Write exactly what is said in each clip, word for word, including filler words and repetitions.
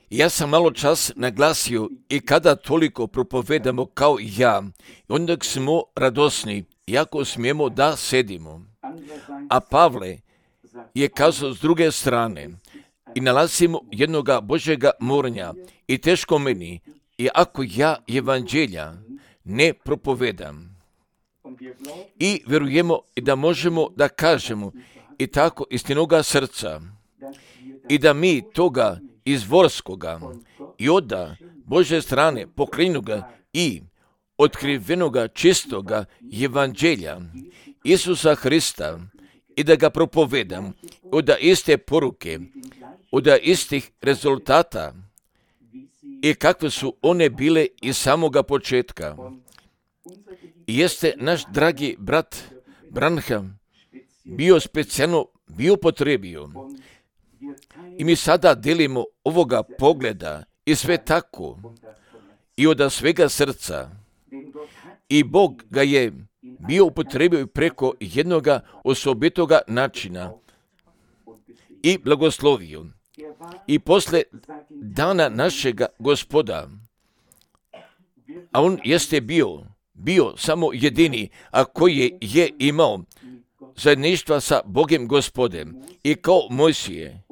Ja sam malo čas naglasio i kada toliko propovedamo kao ja, onda smo radosni, jako smijemo da sedimo. A Pavle je kazao s druge strane i nalazimo jednoga Božjega moranja i teško meni, i ako ja evanđelja ne propovedam. I vjerujemo da možemo da kažemo i tako istinoga srca i da mi toga izvorskoga i oda Božje strane pokrenuga i otkrivenoga čistoga evanđelja Isusa Hrista i da ga propovedam od iste poruke, od istih rezultata i kakve su one bile iz samoga početka. I jeste naš dragi brat Branham bio specijalno bio potrebio. I mi sada delimo ovoga pogleda i sve tako i od svega srca. I Bog ga je bio upotrebio preko jednoga osobitoga načina i blagoslovio. I posle dana našega Gospoda, a on jeste bio, bio samo jedini, a koji je imao zajedništva sa Bogem Gospodem i kao Mojsije,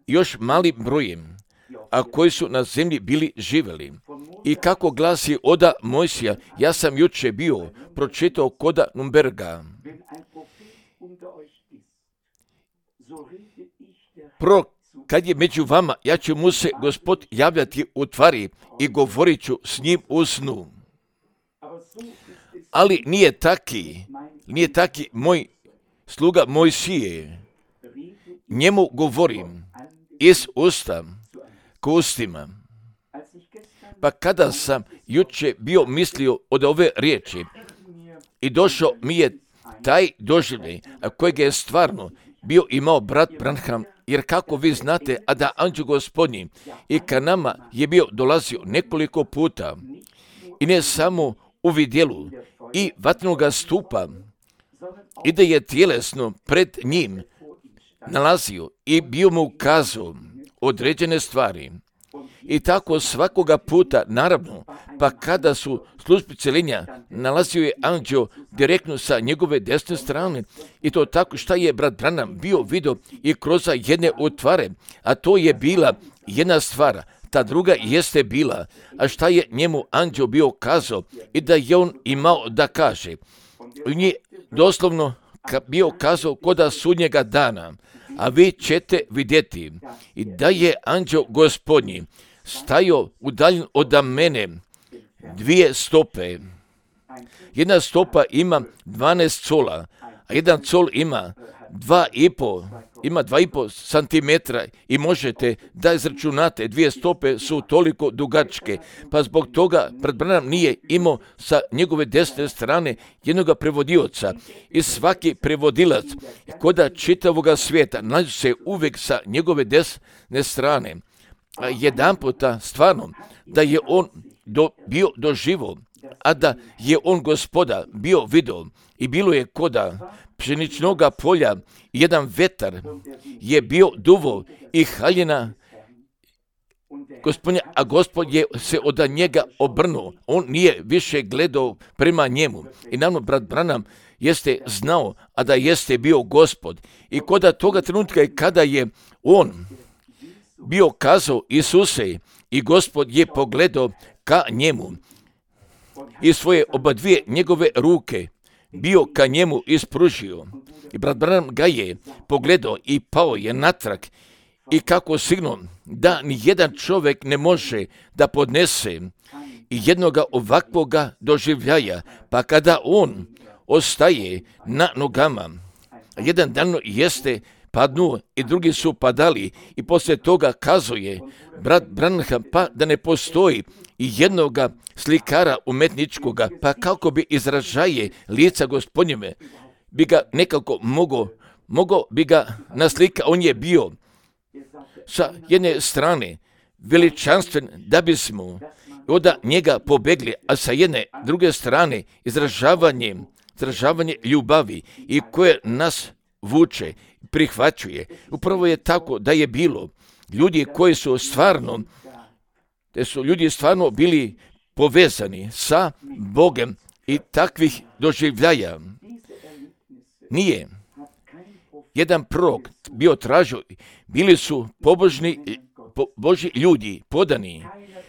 još malim brojem, a koji su na zemlji bili živjeli. I kako glasi oda Mojsija, ja sam juče bio pročitao koda Numberga. Pro, kad je među vama, ja ću mu se Gospod javljati u tvari i govorit ću s njim u snu. Ali nije taki, nije taki moj sluga Mojsije. Njemu govorim iz usta k ustima. Pa kada sam juče bio mislio od ove riječi i došao mi je taj doživljaj, a kojeg je stvarno bio imao brat Branham, jer kako vi znate, a da anđeo Gospodnji i ka nama je bio dolazio nekoliko puta i ne samo u vidjelu i vatnoga stupa, i da je tjelesno pred njim nalazio i bio mu ukazao određene stvari. I tako svakoga puta, naravno, pa kada su službi celenja, nalazio je anđeo direktno sa njegove desne strane, i to tako šta je brat Branham bio vidio i kroz jedne otvare, a to je bila jedna stvar, ta druga jeste bila, a šta je njemu anđeo bio kazao i da je on imao da kaže. On je doslovno bio kazao koda sudnjega dana, a vi ćete vidjeti i da je anđeo Gospodnji stajao udaljen od mene dvije stope. Jedna stopa ima dvanaest cola, a jedan col ima dva i po, ima dva i po santimetra i možete da izračunate, dvije stope su toliko dugačke, pa zbog toga brat Branham nije imao sa njegove desne strane jednoga prevodioca i svaki prevodilac koda čitavoga svijeta nalazi se uvijek sa njegove desne strane. A jedan puta stvarno da je on do, bio doživo, a da je on Gospoda bio vidio i bilo je koda pšeničnoga polja, jedan vetar je bio duvo i haljina Gospodnja, a Gospod je se od njega obrnuo. On nije više gledao prema njemu. I naravno, brat Branham jeste znao, a da jeste bio Gospod. I koda toga trenutka i kada je on bio kazao Isuse i Gospod je pogledao ka njemu i svoje oba dvije njegove ruke bio ka njemu ispružio. I brat Branham ga je pogledao i pao je natrag i kako sigurno da ni jedan čovjek ne može da podnese jednoga ovakvoga doživljaja, pa kada on ostaje na nogama, jedan dan jeste padnu i drugi su padali i poslije toga kazuje brat Branham pa da ne postoji i jednoga slikara umetničkoga, pa kako bi izražaje lica Gospodnjeve bi ga nekako mogo, mogo bi ga naslika, on je bio sa jedne strane veličanstven da bismo od njega pobegli, a sa jedne druge strane izražavanje, izražavanje ljubavi i koje nas vuče, prihvaćuje. Upravo je tako da je bilo ljudi koji su stvarno, te su ljudi stvarno bili povezani sa Bogom i takvih doživljaja. Nije jedan prorok bio tražio, bili su pobožni po, Božji ljudi, podani,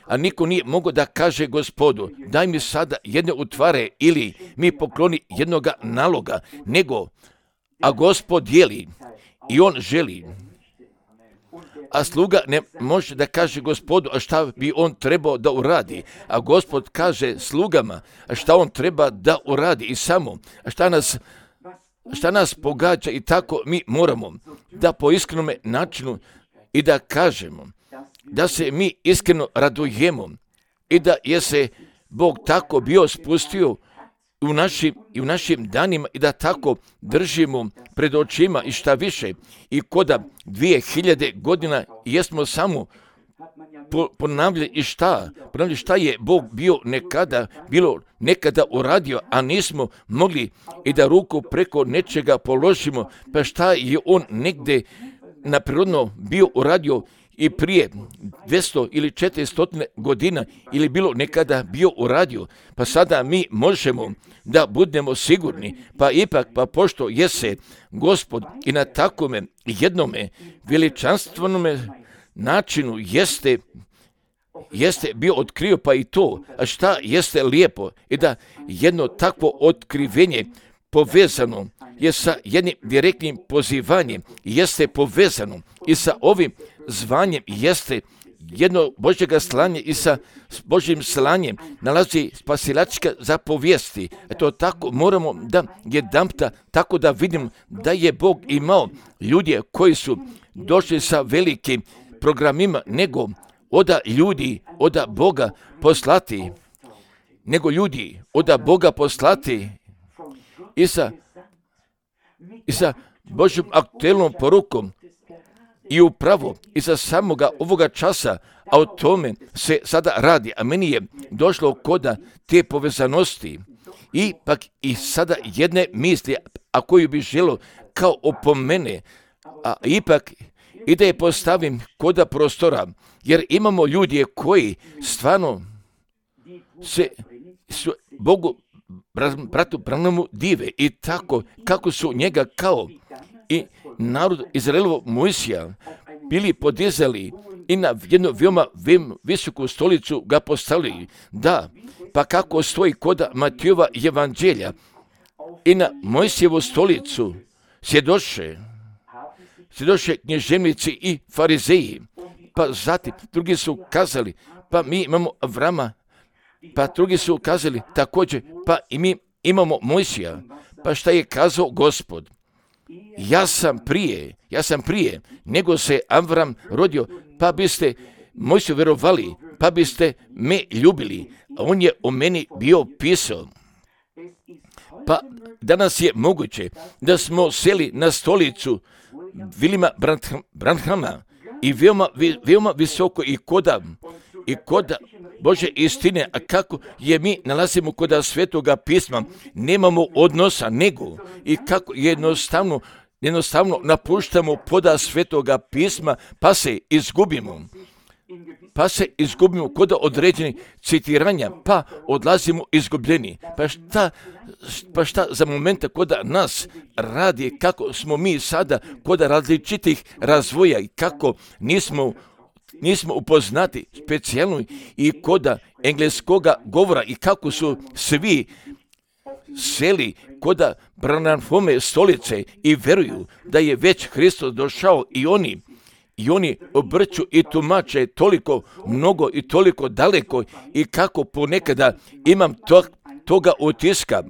a niko nije mogao da kaže Gospodu, daj mi sada jedne utvare ili mi pokloni jednoga naloga, nego, a Gospod dijeli i on želi. A sluga ne može da kaže Gospodu, a šta bi on trebao da uradi. A Gospod kaže slugama, a šta on treba da uradi i samo, a šta nas, šta nas pogađa i tako mi moramo da po iskrenome načinu i da kažemo, da se mi iskreno radujemo i da je se Bog tako bio spustio u našim, i u našim danima i da tako držimo pred očima i šta više. I koda dvije hiljade godina jesmo samo po, ponavljali i šta, ponavljali šta je Bog bio nekada, bilo nekada uradio, a nismo mogli i da ruku preko nečega položimo, pa šta je on negde naprirodno bio uradio i prije dvjesto ili četiristo godina ili bilo nekada bio uradio, pa sada mi možemo da budemo sigurni, pa ipak, pa pošto jese Gospod i na takome jednome veličanstvenome načinu jeste, jeste bio otkrio, pa i to, a šta jeste lijepo i da jedno takvo otkrivenje povezano je sa jednim direktnim pozivanjem, jeste povezano i sa ovim zvanjem, jeste jedno Božjega slanje i sa Božjim slanjem nalazi spasilačka zapovijesti. Eto tako moramo da jedanputa tako da vidimo da je Bog imao ljudi koji su došli sa velikim programima, nego oda ljudi, oda Boga poslati, nego ljudi oda Boga poslati i sa, i sa Božjom aktuelnom porukom i upravo iza samoga ovoga časa, a o tome se sada radi, a meni je došlo koda te povezanosti i pak i sada jedne misli, a koju bi želo kao opomene, a ipak i da je postavim koda prostora, jer imamo ljudi koji stvarno se su Bogu bratu Branamu dive i tako kako su njega kao i narod Izraelovo Mojsija bili podizali i na jednu veoma visoku stolicu ga postavili. Da, pa kako stoji koda Matijova evanđelja i na Mojsijevu stolicu sjedoše, sjedoše knježevnici i farizeji, pa zatim drugi su kazali, pa mi imamo Avrama, pa drugi su kazali također, pa i mi imamo Mojsija, pa šta je kazao Gospod? Ja sam prije, ja sam prije, nego se Avram rodio, pa biste Mojsiju verovali, pa biste me ljubili, a on je o meni bio pisao. Pa danas je moguće da smo seli na stolicu Vilima Branhama i veoma, veoma visoko i koda, i koda Bože istine, a kako je mi nalazimo koda Svetoga pisma, nemamo odnosa, nego i kako jednostavno, jednostavno napuštamo poda Svetoga pisma, pa se izgubimo. Pa se izgubimo kod određenih citiranja, pa odlazimo izgubljeni. Pa šta, pa šta za momenta koda nas radi, kako smo mi sada kod različitih razvoja i kako nismo nismo upoznati specijalno i koda engleskoga govora i kako su svi seli koda Branhamove stolice i veruju da je već Hristos došao i oni i oni obrću i tumače toliko mnogo i toliko daleko i kako ponekada imam to, toga utiska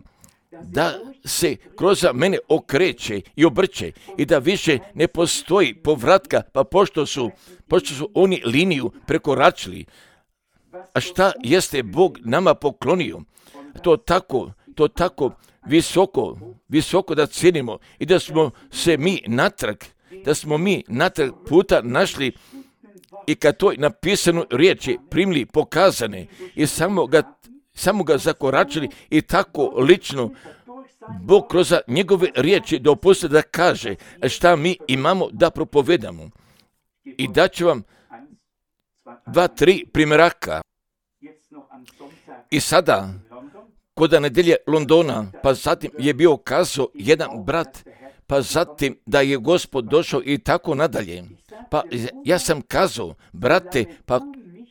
da se kroz mene okreće i obrće i da više ne postoji povratka, pa pošto su, pošto su oni liniju prekoračili. A šta jeste Bog nama poklonio? To tako, to tako visoko, visoko da cijenimo i da smo se mi natrag, da smo mi natrag puta našli i kad toj napisanu riječi primili pokazane i samo ga, samo ga zakoračili i tako lično Bog kroz njegove riječi dopusti da kaže šta mi imamo da propovedamo. I daću vam dva, tri primjeraka. I sada, kod nedelje Londona, pa zatim je bio kazao jedan brat, pa zatim da je Gospod došao i tako nadalje. Pa ja sam kazao, brate, pa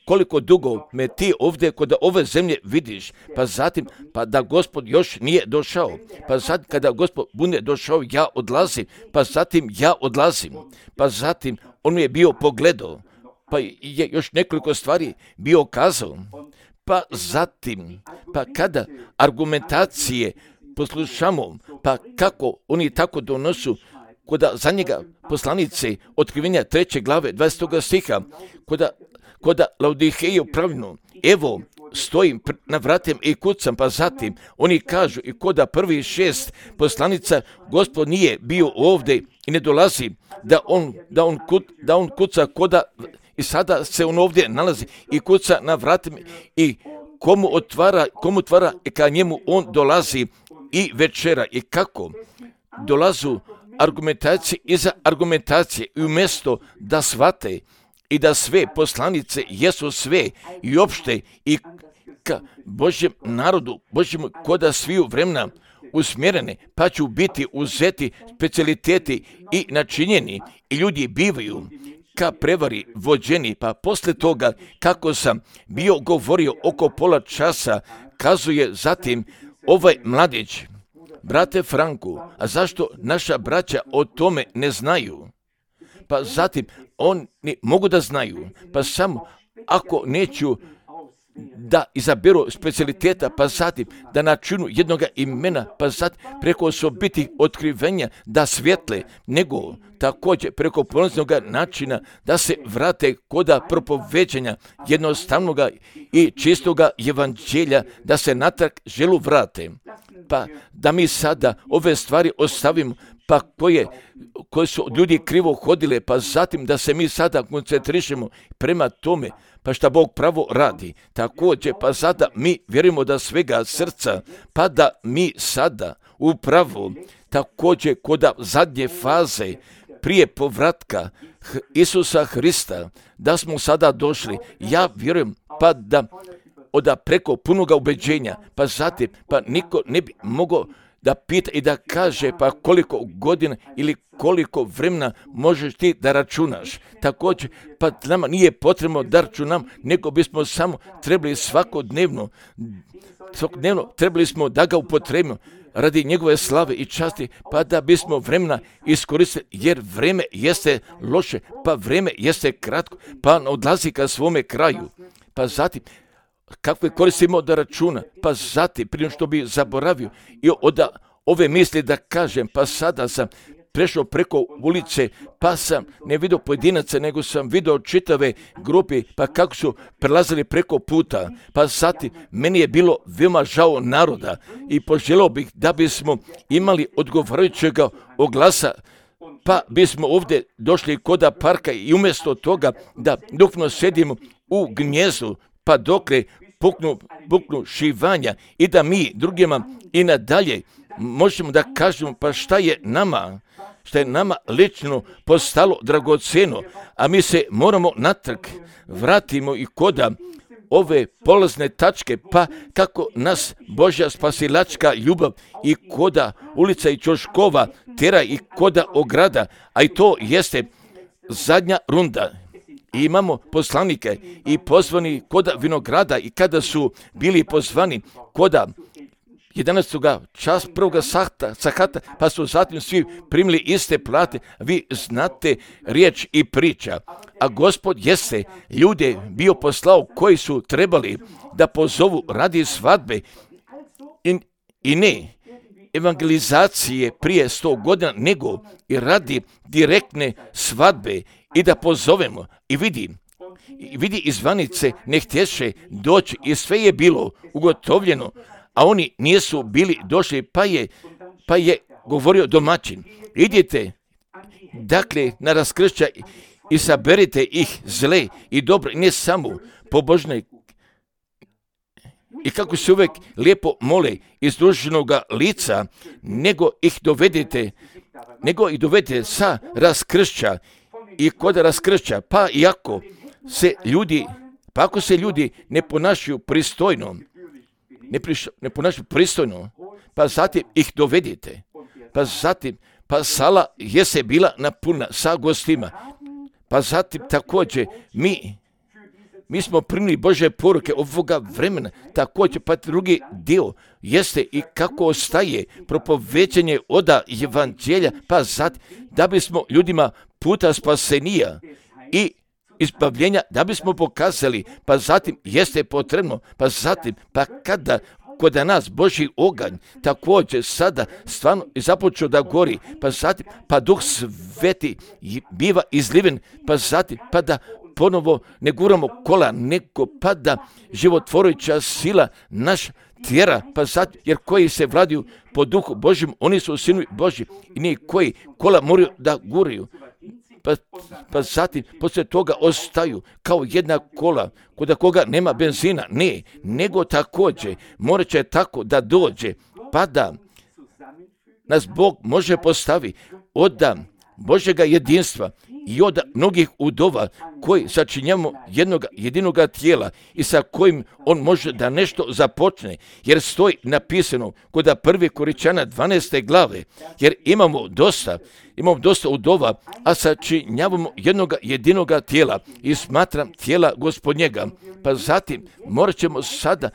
koliko dugo me ti ovdje kod ove zemlje vidiš, pa zatim, pa da Gospod još nije došao, pa sad kada Gospod bude došao, ja odlazim, pa zatim ja odlazim, pa zatim on mi je bio pogledao, pa je još nekoliko stvari bio kazao, pa zatim, pa kada argumentacije poslušamo, pa kako oni tako donosu, koda za njega poslanice otkrivenja treće glave dvadesetog stiha, koda, koda Laodiheju pravilno, evo stojim na vratima i kucam, pa zatim oni kažu i koda prvi šest poslanica Gospod nije bio ovdje i ne dolazi da on, da on, kut, da on kuca koda i sada se on ovdje nalazi i kuca na vratima i komu otvara, komu otvara i ka njemu on dolazi i večera i kako dolazu argumentacije iza argumentacije i umjesto da shvate i da sve poslanice jesu sve i opšte i ka Božjem narodu, Božjemu koda sviju vremena usmjerene, pa ću biti uzeti specijaliteti i načinjeni i ljudi bivaju ka prevari vođeni, pa posle toga kako sam bio govorio oko pola časa, kazuje zatim ovaj mladić, brate Franku, a zašto naša braća o tome ne znaju? Pa zatim oni mogu da znaju, pa samo ako neću da izaberu specijaliteta, pa zatim da načinu jednoga imena, pa zatim preko osobitih otkrivenja da svjetle, nego također preko poniznog načina da se vrate koda propoveđenja jednostavnoga i čistoga evanđelja, da se natrag želu vrate. Pa da mi sada ove stvari ostavimo, pa koje, koje su ljudi krivo hodile, pa zatim da se mi sada koncentrišemo prema tome, pa šta Bog pravo radi. Također, pa sada mi vjerujemo da svega srca, pa da mi sada upravo također kod zadnje faze prije povratka Isusa Hrista, da smo sada došli. Ja vjerujem pa da oda preko punoga ubeđenja, pa zatim, pa niko ne bi mogao da pita i da kaže pa koliko godina ili koliko vremena možeš ti da računaš. Također, pa nama nije potrebno da računam, nego bismo samo trebali svakodnevno, svakodnevno trebali smo da ga upotrebimo radi njegove slave i časti, pa da bismo vremena iskoristili, jer vreme jeste loše, pa vreme jeste kratko, pa odlazi ka svome kraju. Pa zatim, kakve koristimo da računa, pa zatim, prije što bi zaboravio i od ove misli da kažem, pa sada sam prešao preko ulice, pa sam ne vidio pojedinaca, nego sam vidio čitave grupe, pa kako su prelazili preko puta, pa zatim, meni je bilo veoma žao naroda i poželio bih da bismo imali odgovarajućeg oglasa, pa bismo ovdje došli koda parka i umjesto toga da dukno sedimo u gnjezdu, pa dokle puknu, puknu šivanja i da mi drugima i nadalje možemo da kažemo pa šta je nama, šta je nama lično postalo dragoceno, a mi se moramo natrag vratimo i koda ove polazne tačke, pa kako nas Božja spasilačka ljubav i koda ulica i Ćoškova tera i koda ograda, a i to jeste zadnja runda. I imamo poslanike i pozvani koda vinograda i kada su bili pozvani koda jedanaestog čas prvoga sahta, sahata, pa su zatim svi primili iste plate, vi znate riječ i priča. A Gospod jeste ljude bio poslao koji su trebali da pozovu radi svadbe i, i ne evangelizacije prije sto godina, nego i radi direktne svadbe i da pozovemo i vidi, i vidi izvanice ne htješe doći i sve je bilo ugotovljeno, a oni nisu bili došli, pa je, pa je govorio domaćin, idite dakle na raskršća i saberite ih zle i dobro, ne samo pobožne i kako se uvijek lijepo mole iz dužnoga lica, nego ih dovedete, nego ih dovedete sa raskršća i kod raskršća, pa iako se ljudi, pa ako se ljudi ne ponašaju pristojno, ne, priš, ne ponašaju pristojno, pa zatim ih dovedete, pa zatim, pa sala je se bila napuna sa gostima, pa zatim također mi, mi smo primili Bože poruke ovoga vremena, također pa drugi dio jeste i kako ostaje propoveđenje oda evanđelja, pa zatim da bismo ljudima puta spasenija i izbavljenja, da bismo pokazali, pa zatim jeste potrebno, pa zatim, pa kada kod nas Božji oganj također sada stvarno započeo da gori, pa zatim, pa Duh Sveti biva izliven, pa zatim, pa da ponovo ne guramo kola, nego pa da životvorujuća sila naš tjera, pa zatim, jer koji se vladaju po Duhu Božjem, oni su sinovi Božji i nije koji kola moraju da guraju. Pa, pa zatim, poslije toga ostaju kao jedna kola, kod koga nema benzina, ne, nego također, morat će tako da dođe, pa da nas Bog može postavi od Božjega jedinstva i od mnogih udova koji sačinjamo jednog jedinoga tijela i sa kojim on može da nešto započne, jer stoji napisano kod prve Korinćana dvanaeste glave, jer imamo dosta, imamo dosta udova, a sačinjavamo jednog jedinoga tijela i smatram tijela Gospodnjega. Pa zatim morat ćemo sada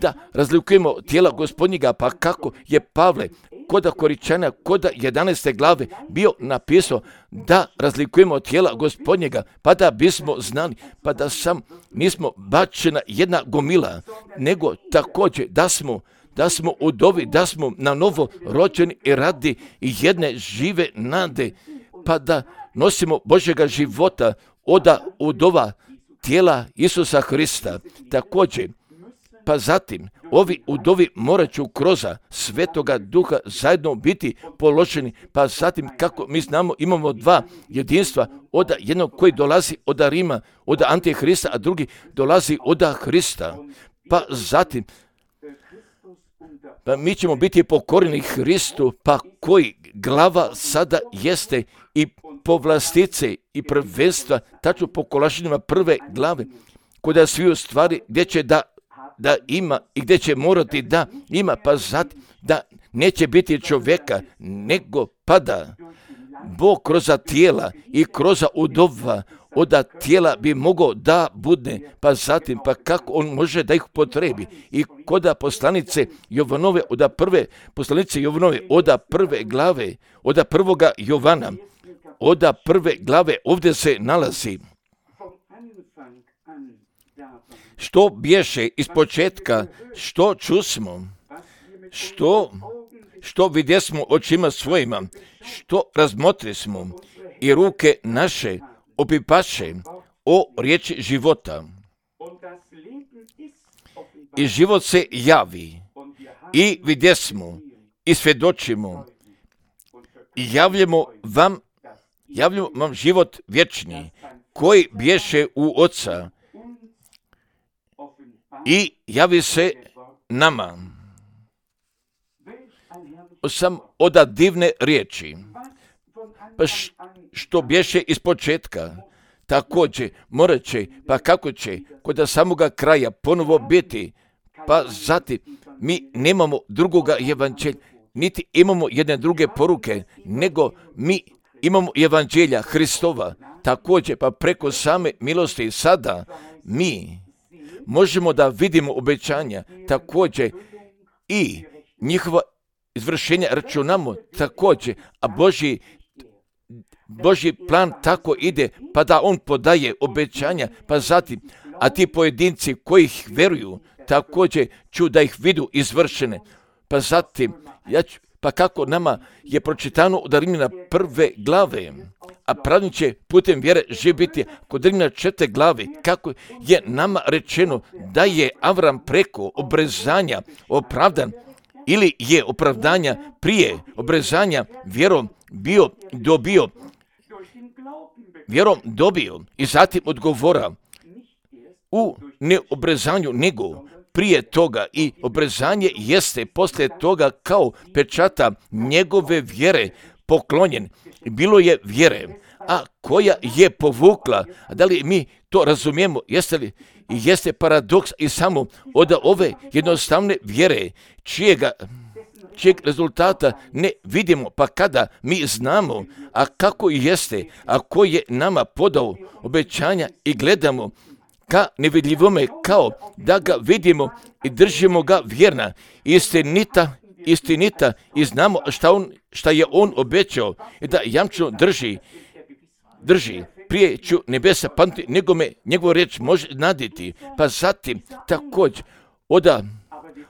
da razlikujemo tijela Gospodnjega, pa kako je Pavle kod Korinćana, kod jedanaeste glave bio napisao da razlikujemo tijela Gospodnjega, pa da bismo znali, pa da sam nismo bačena jedna gomila, nego također da smo da smo udovi, da smo na novo rođeni i radi jedne žive nade, pa da nosimo Božjega života od udova tijela Isusa Hrista. Također, pa zatim, ovi udovi morat ću kroz Svetoga Duha zajedno biti položeni, pa zatim, kako mi znamo, imamo dva jedinstva, od jednog koji dolazi od Rima, od Antihrista, a drugi dolazi od Hrista. Pa zatim, pa mi ćemo biti pokorni Hristu, pa koji glava sada jeste i povlastice i prvenstva, tačno po Kolašanima prve glave, kuda svi u stvari gdje će da da ima i gdje će morati da ima, pa zatim da neće biti čovjeka, nego pada Bog kroz tijela i kroz udova od tijela bi mogao da bude, pa zatim, pa kako on može da ih potrebi. I kod poslanice Jovanove, od prve poslanice Jovanove, od prve glave, od prvoga Jovana, od prve glave, ovdje se nalazi što bješe iz početka, što čusmo, što, što vidjesmo očima svojima, što razmotrismo i ruke naše opipaše o riječi života. I život se javi i vidjesmo i svjedočimo i javljamo vam, javljamo vam život vječni koji bješe u Oca i javi se nama. Sam od divne riječi, pa što bješe iz početka, također morat će, pa kako će kod samoga kraja ponovo biti, pa zatim mi nemamo drugoga evanđelja, niti imamo jedne druge poruke, nego mi imamo evanđelja Hristova, također pa preko same milosti sada mi možemo da vidimo obećanja, također i njihova izvršenja računamo također, a Božji, Božji plan tako ide, pa da on podaje obećanja, pa zatim, a ti pojedinci koji ih veruju, također ću da ih vidu izvršene, pa zatim, ja ću, pa kako nama je pročitano od Rimljana prve glave, a pravnik će putem vjere živjeti kod Rimljana četvrte glave, kako je nama rečeno da je Avram preko obrezanja opravdan, ili je opravdanja prije obrezanja vjerom bio dobio, vjerom dobio i zatim odgovora u neobrezanju, nego prije toga i obrezanje jeste poslije toga kao pečata njegove vjere poklonjen. Bilo je vjere, a koja je povukla. A da li mi to razumijemo? Jeste li? Jeste paradoks i samo od ove jednostavne vjere čijega čijeg rezultata ne vidimo, pa kada mi znamo, a kako jeste, a ko je nama podao obećanja i gledamo ka nevidljivome, kao da ga vidimo i držimo ga vjerna, istinita, istinita i znamo šta, on, šta je on obećao i da jamčno drži, drži. Prije ću nebesa pamti, nego me njegovu riječ može naditi, pa zatim također oda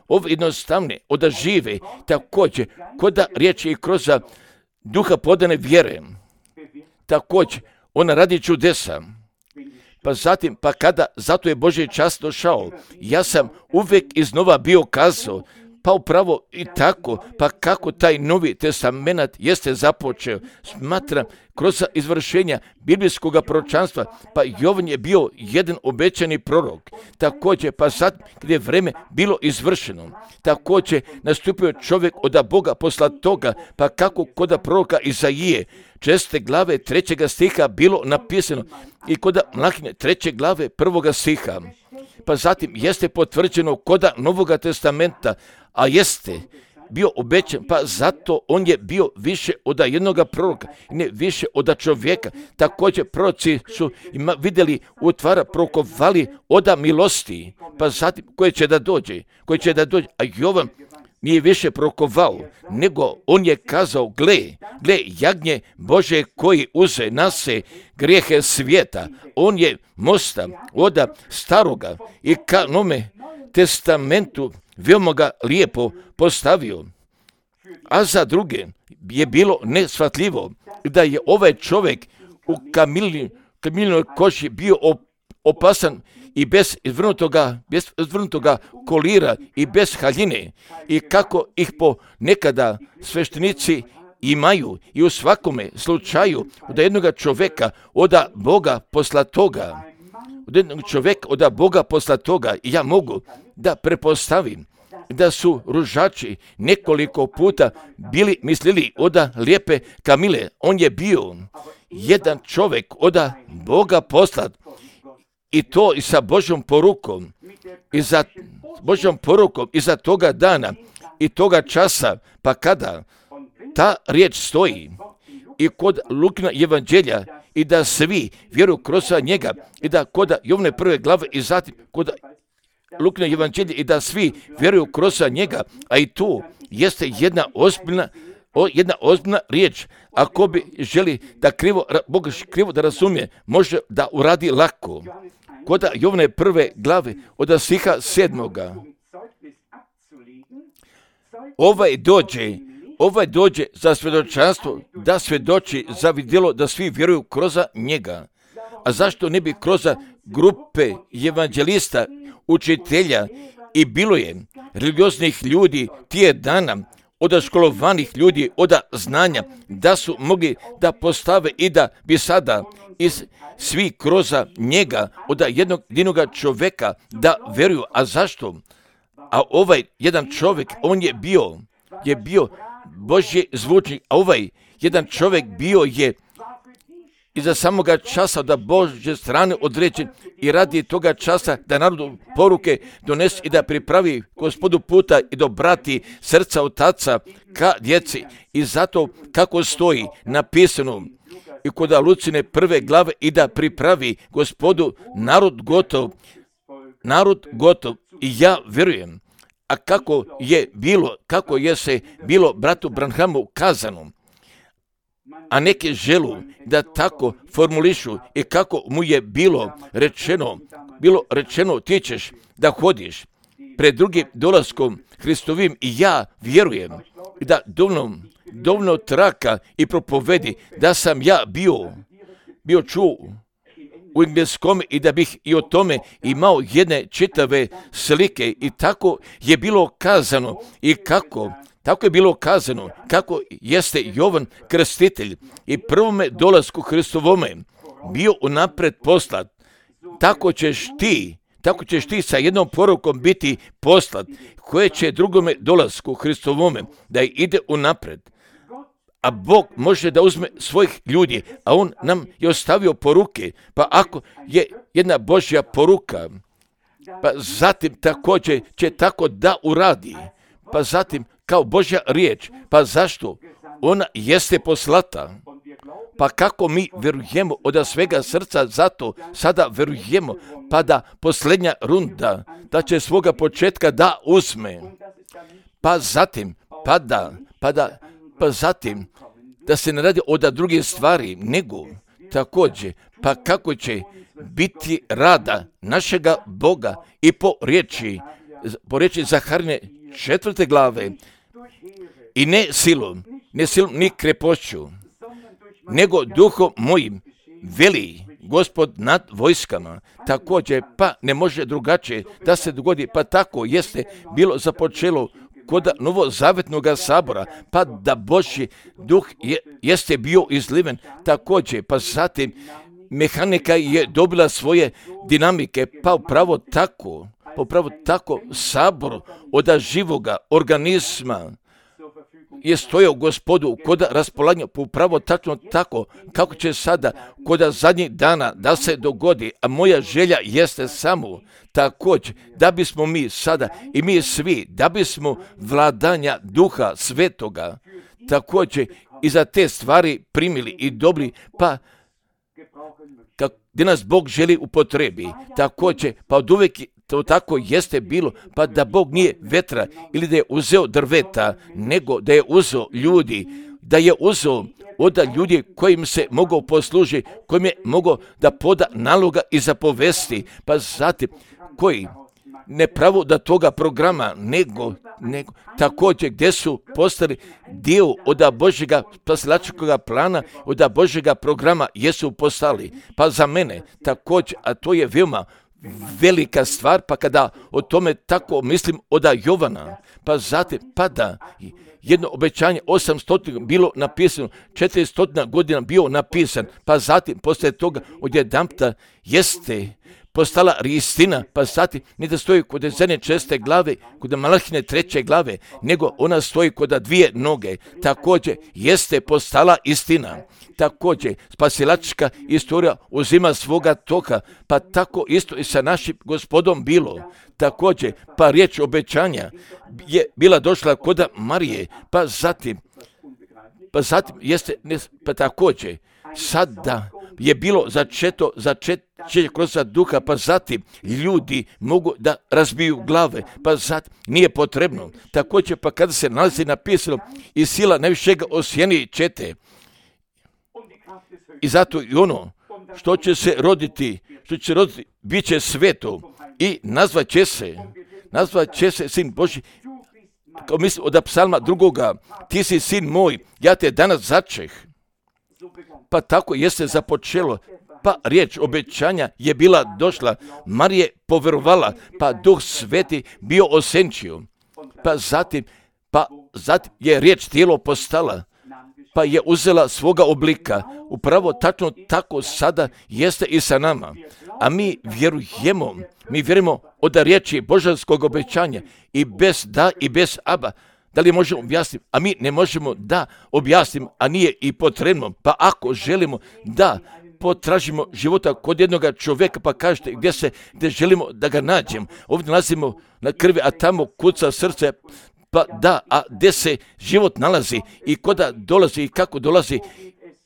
ove jednostavne, oda žive, također koda riječi i kroz duha podane vjere, također ona radi čudesa. Pa zatim, pa kada, zato je Božji čas došao, ja sam uvijek iznova bio kazao, pa upravo i tako, pa kako taj Novi Testament jeste započeo, smatram kroz izvršenja biblijskog proročanstva, pa Jovan je bio jedan obećani prorok, također, pa sad gdje je vreme bilo izvršeno, također nastupio čovjek od Boga posla toga, pa kako kod proroka Izaije, česte glave trećega stiha bilo napisano i kod Mlahine treće glave prvoga stiha. Pa zatim jeste potvrđeno koda Novoga testamenta, a jeste bio obećan, pa zato on je bio više od jednoga proroka, ne više od čovjeka. Također proroci su ima vidjeli utvara prorokovali oda milosti, pa zatim koje će da dođe, koje će da dođe, a Jovan nije više prorokovao, nego on je kazao, gle, gle, jagnje Bože koji uze na se grijehe svijeta. On je mosta oda staroga i ka Novome testamentu veoma ga lijepo postavio. A za druge je bilo neshvatljivo da je ovaj čovjek u kamilinoj koži bio opasan i bez izvrnutoga, bez izvrnutoga kolira i bez haljine i kako ih po nekada sveštenici imaju i u svakome slučaju od jednog čovjeka od Boga posla toga, od jednog čovjeka od Boga posla toga i ja mogu da prepostavim da su ružači nekoliko puta bili mislili od lijepe Kamile. On je bio jedan čovjek od Boga poslat i to i sa Božjom porukom i za Božjom porukom i za toga dana i toga časa, pa kada ta riječ stoji i kod Lukina evanđelja i da svi vjeruju kroz njega i da kod Jovne prve glave i zatim kod Lukina evanđelja i da svi vjeruju kroz njega, a i tu jeste jedna ozbiljna O, jedna ozbiljna riječ, ako bi želi da krivo, Bog krivo da razumije, može da uradi lako. Kod Jovne prve glave od stiha sedmoga. Ovaj dođe, ovaj dođe za svjedočanstvo da svjedoči za vidjelo da svi vjeruju kroz njega. A zašto ne bi kroz grupe evanđelista, učitelja i bilo je religioznih ljudi tije dana, od školovanih ljudi, od znanja, da su mogli da postave i da bi sada iz svi kroz njega, od jednog jedinog čovjeka da vjeruju. A zašto? A ovaj jedan čovjek, on je bio, je bio Božji zvučnik, a ovaj jedan čovjek bio je iza samoga časa da Božje strane određen i radi toga časa da narodu poruke donese i da pripravi Gospodu puta i da obrati srca otaca ka djeci. I zato kako stoji napisano i kod Lucine prve glave i da pripravi Gospodu narod gotov, narod gotov i ja vjerujem. A kako je bilo, kako je se bilo bratu Branhamu kazano, a neke želu da tako formulišu i kako mu je bilo rečeno, bilo rečeno ti ćeš da hodiš pred drugim dolaskom Hristovim i ja vjerujem da dovoljno, dovoljno traka i propovedi da sam ja bio, bio čuo u engleskom i da bih i o tome imao jedne čitave slike i tako je bilo kazano i kako Tako je bilo kazano, kako jeste Jovan Krstitelj i prvome dolasku Hristovome bio unapred poslat. Tako ćeš ti, tako ćeš ti sa jednom porukom biti poslat, koje će drugome dolasku Hristovome da ide unapred. A Bog može da uzme svojih ljudi, a On nam je ostavio poruke. Pa ako je jedna Božja poruka, pa zatim također će tako da uradi. Pa zatim kao Božja riječ. Pa zašto? Ona jeste poslata. Pa kako mi vjerujemo od svega srca, zato sada vjerujemo, pa da posljednja runda, da će svoga početka da uzme. Pa zatim, pa da, pa da, pa zatim, da se ne radi od druge stvari, nego također, pa kako će biti rada našega Boga i po riječi, po riječi Zaharine četvrte glave, i ne silom, ne silom ni krepošću, nego duhom mojim, veli Gospod nad vojskama. Također, pa ne može drugačije da se dogodi, pa tako jeste bilo započelo kod novozavetnog sabora, pa da Božji duh je, jeste bio izliven također, pa zatim mehanika je dobila svoje dinamike, pa upravo tako, pa upravo tako sabor od živoga organizma je stojao Gospodu kod raspolaganja, upravo tačno tako kako će sada kod zadnjih dana da se dogodi, a moja želja jeste samo također da bismo mi sada i mi svi, da bismo vladanja Duha Svetoga također i za te stvari primili i dobili, pa kako, gdje nas Bog želi upotrebi, također, pa od uvijek to tako jeste bilo, pa da Bog nije vetra ili da je uzeo drveta, nego da je uzeo ljudi, da je uzeo od ljudi kojim se mogao poslužiti, kojim je mogao da poda naloga i zapovesti, pa zatim koji ne pravo da toga programa, nego, nego također gdje su postali dio od Božjega spasilačkog plana, od Božjega programa jesu postali. Pa za mene također, a to je veoma velika stvar, pa kada o tome tako mislim od Jovana, pa zatim, pa da jedno obećanje osamsto bilo napisano, četiristo godina bio napisan, pa zatim poslije toga odjedanputa jeste postala istina, pa zatim ne da stoji kod zadnje česte glave, kod Malahine treće glave, nego ona stoji kod dvije noge. Također jeste postala istina. Također spasilačka istorija uzima svoga toka, pa tako isto i sa našim Gospodom bilo. Također, pa riječ obećanja je bila došla kod Marije, pa zatim, pa zatim jeste, pa također, sada je bilo začeto, začeće kroz duha, pa zatim ljudi mogu da razbiju glave, pa zatim nije potrebno. Također, pa kada se nalazi napisano i sila najvišega osjeni čete, i zato i ono što će se roditi, što će roditi, bit će sveto i nazvat će se, nazvat će se sin Božji, kao mislim od psalma drugoga, ti si sin moj, ja te danas začeh. Pa tako jeste započelo, pa riječ obećanja je bila došla, Marije poverovala, pa Duh Sveti bio osenčio, pa zatim, pa zatim je riječ tijelo postala, pa je uzela svoga oblika. Upravo tačno tako sada jeste i sa nama. A mi vjerujemo, mi vjerujemo od riječi božanskog obećanja i bez da i bez aba. Da li možemo objasniti? A mi ne možemo da objasnimo, a nije i potrebno. Pa ako želimo da potražimo života kod jednog čovjeka, pa kažete gdje se, gdje želimo da ga nađemo. Ovdje nalazimo na krvi, a tamo kuca srce. Pa da, a gdje se život nalazi i kuda dolazi i kako dolazi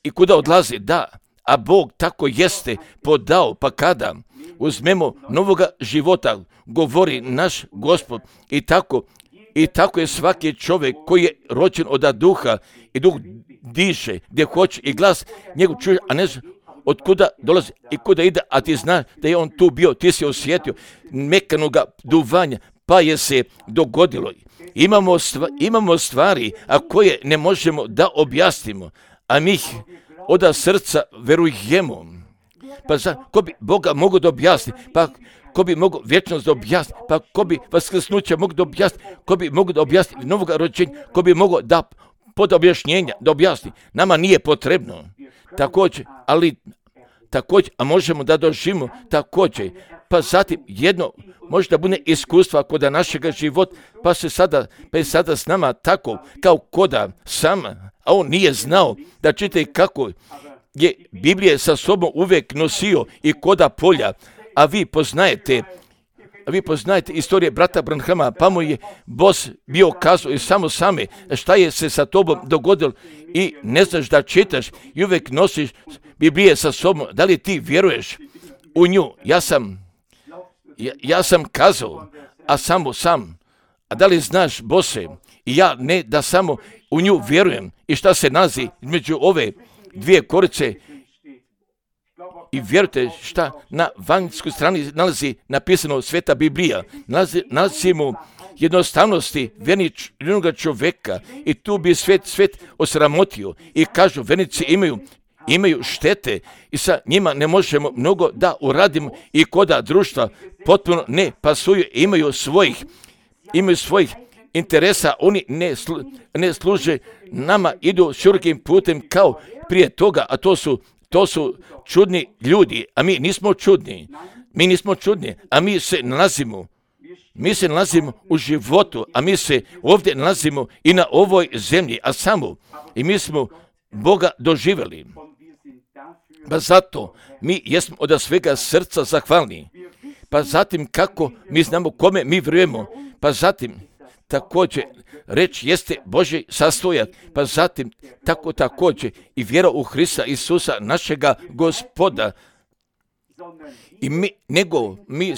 i kuda odlazi, da, a Bog tako jeste podao, pa kada uzmemo novoga života, govori naš Gospod, i tako, i tako je svaki čovjek koji je rođen od duha i duh diše, gdje hoće i glas njegov čuje, a ne zna od kuda dolazi i kuda ide, a ti znaš da je on tu bio, ti si osjetio mekanoga duvanja, pa je se dogodilo. Imamo, stva, imamo stvari, a koje ne možemo da objasnimo, a mi ih od srca verujemo. Pa za, ko bi Boga mogo da objasni? Pa ko bi mogo vječnost da objasni? Pa ko bi vaskrsnuće mogo da objasni? Ko bi mogo da objasni novog rođenja? Ko bi mogo da pod objašnjenja da objasni? Nama nije potrebno. Također, ali također, a možemo da doživimo također, pa zatim jedno možda bude iskustva koda našega života, pa se sada, pa je sada s nama tako kao koda sam, a on nije znao da čite kako je Biblije sa sobom uvijek nosio i koda polja, a vi poznajete A vi poznajete istorije brata Branhama, pa mu je Bos bio kazao i samo same šta je se sa tobom dogodilo i ne znaš da čitaš i uvijek nosiš Biblije sa sobom. Da li ti vjeruješ u nju? Ja sam, ja, ja sam kazao, a samo sam. A da li znaš, Bose, i ja ne da samo u nju vjerujem i šta se nalazi između ove dvije korice. I vjerujte šta na vanjskoj strani nalazi napisano Sveta Biblija. Nalazi, nalazimo jednostavnosti vjernog čovjeka i tu bi svet, svet osramotio i kažu vjernici imaju, imaju štete i sa njima ne možemo mnogo da uradimo i koda društva potpuno ne pasuju, imaju svojih, imaju svojih interesa, oni ne, slu, ne služe nama, idu širokim putem kao prije toga, a to su To su čudni ljudi, a mi nismo čudni. Mi nismo čudni, a mi se nalazimo. Mi se nalazimo u životu, a mi se ovdje nalazimo i na ovoj zemlji, a samo. I mi smo Boga doživjeli. Pa zato mi jesmo od svega srca zahvalni. Pa zatim kako mi znamo kome mi vjerujemo. Pa zatim također reč jeste Božji sastojak, pa zatim tako također i vjera u Hrista Isusa našega Gospoda. I mi, nego, mi,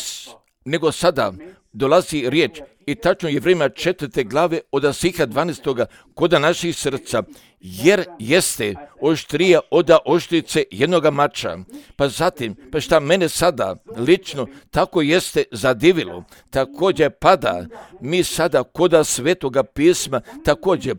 nego sada dolazi riječ i tačno je vrijeme četvrte glave od stiha dvanaestoga koda naših srca, jer jeste oštrija oda oštrice jednoga mača. Pa zatim, pa šta mene sada lično tako jeste zadivilo, također pada mi sada koda Svetoga pisma, također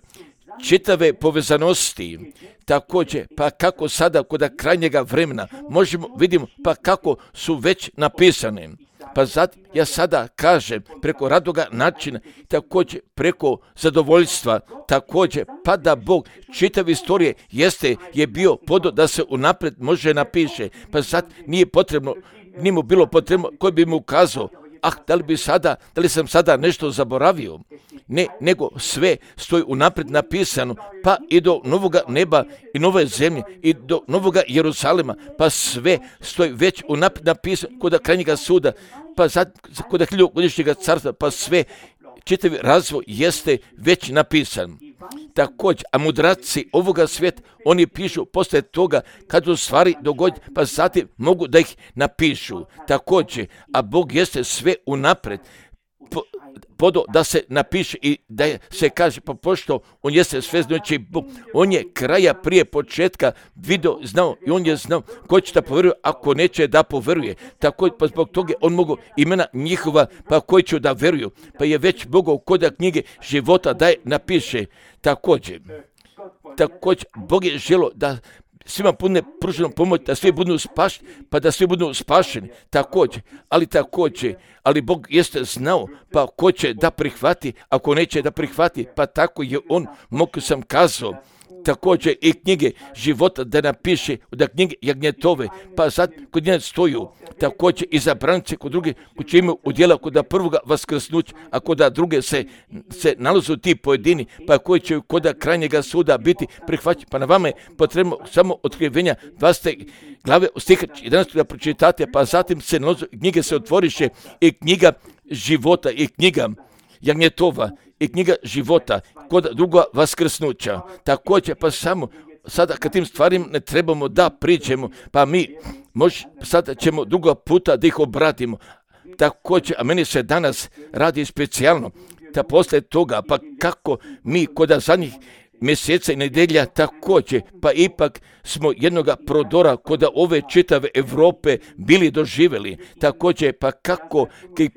čitave povezanosti, također pa kako sada koda krajnjega vremena možemo vidimo pa kako su već napisane. Pa zatim ja sada kažem preko radoga načina, također preko zadovoljstva, također pa da Bog čitav istorije jeste je bio podo da se unaprijed može napiše, pa sad nije potrebno, nije mu bilo potrebno koji bi mu ukazao, ah, da li bi sada, da li sam sada nešto zaboravio? Ne, nego sve stoji unaprijed napisano, pa i do novoga neba i nove zemlje i do novoga Jerusalema, pa sve stoji već unaprijed napisano kod krajnjega suda, pa sad kod hiljadugodišnjega carstva, pa sve čitavi razvoj jeste već napisan. Također, a mudraci ovoga svijeta, oni pišu poslije toga kad u stvari dogodi, pa zatim mogu da ih napišu. Također, a Bog jeste sve unaprijed po, podo da se napiše i da se kaže, pa pošto on jeste sve znači Bog, on je kraja prije početka vidio, znao i on je znao ko će da poveruje, ako neće da poveruje. Također, pa zbog toga on mogu imena njihova, pa koji će da veruju, pa je već Bogov koda knjige života da je napiše. Također, također, Bog je želio da svima bude pruženo pomoć, da svi budu spašeni, pa da svi budu spašeni, također, ali također, ali Bog jeste znao, pa ko će da prihvati, ako neće da prihvati, pa tako je on, mogu sam kazao, također i knjige života da napiše, da knjige jagnjetove, pa sad kod nje stoju, također i zabranice kod druge, koji će imaju udjela kod prvoga vaskrsnuća, a kod druge se, se nalazu ti pojedini, pa koji će kod krajnjega suda biti prihvaćeni. Pa na vama je potrebno samo otkrivenja dvadesete glave stiha jedanaestog da pročitate, pa zatim se nalazu, knjige se otvoriše i knjiga života i knjiga jagnjetova i knjiga života kod druga vaskrsnuća. Također, pa samo sada kad tim stvarima ne trebamo da priđemo, pa mi mož, sada ćemo druga puta da ih obratimo. Također, a meni se danas radi specijalno, da poslije toga, pa kako mi kod zadnjih mjeseca i nedelja također, pa ipak smo jednoga prodora kod ove čitave Europe bili doživjeli. Također, pa kako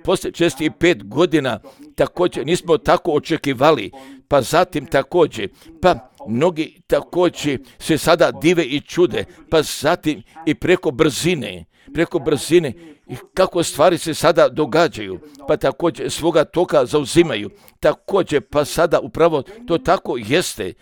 poslije šezdeset pet godina također nismo tako očekivali, pa zatim također, pa mnogi također se sada dive i čude, pa zatim i preko brzine, preko brzine i kako stvari se sada događaju, pa također svoga toka zauzimaju. Također, pa sada upravo to tako jeste,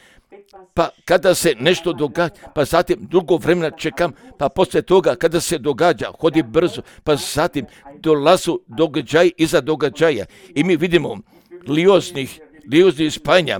pa kada se nešto događa, pa zatim dugo vremena čekam, pa poslije toga kada se događa, hodi brzo, pa zatim dolazu događaj iza događaja i mi vidimo lioznih, lioznih spajanja,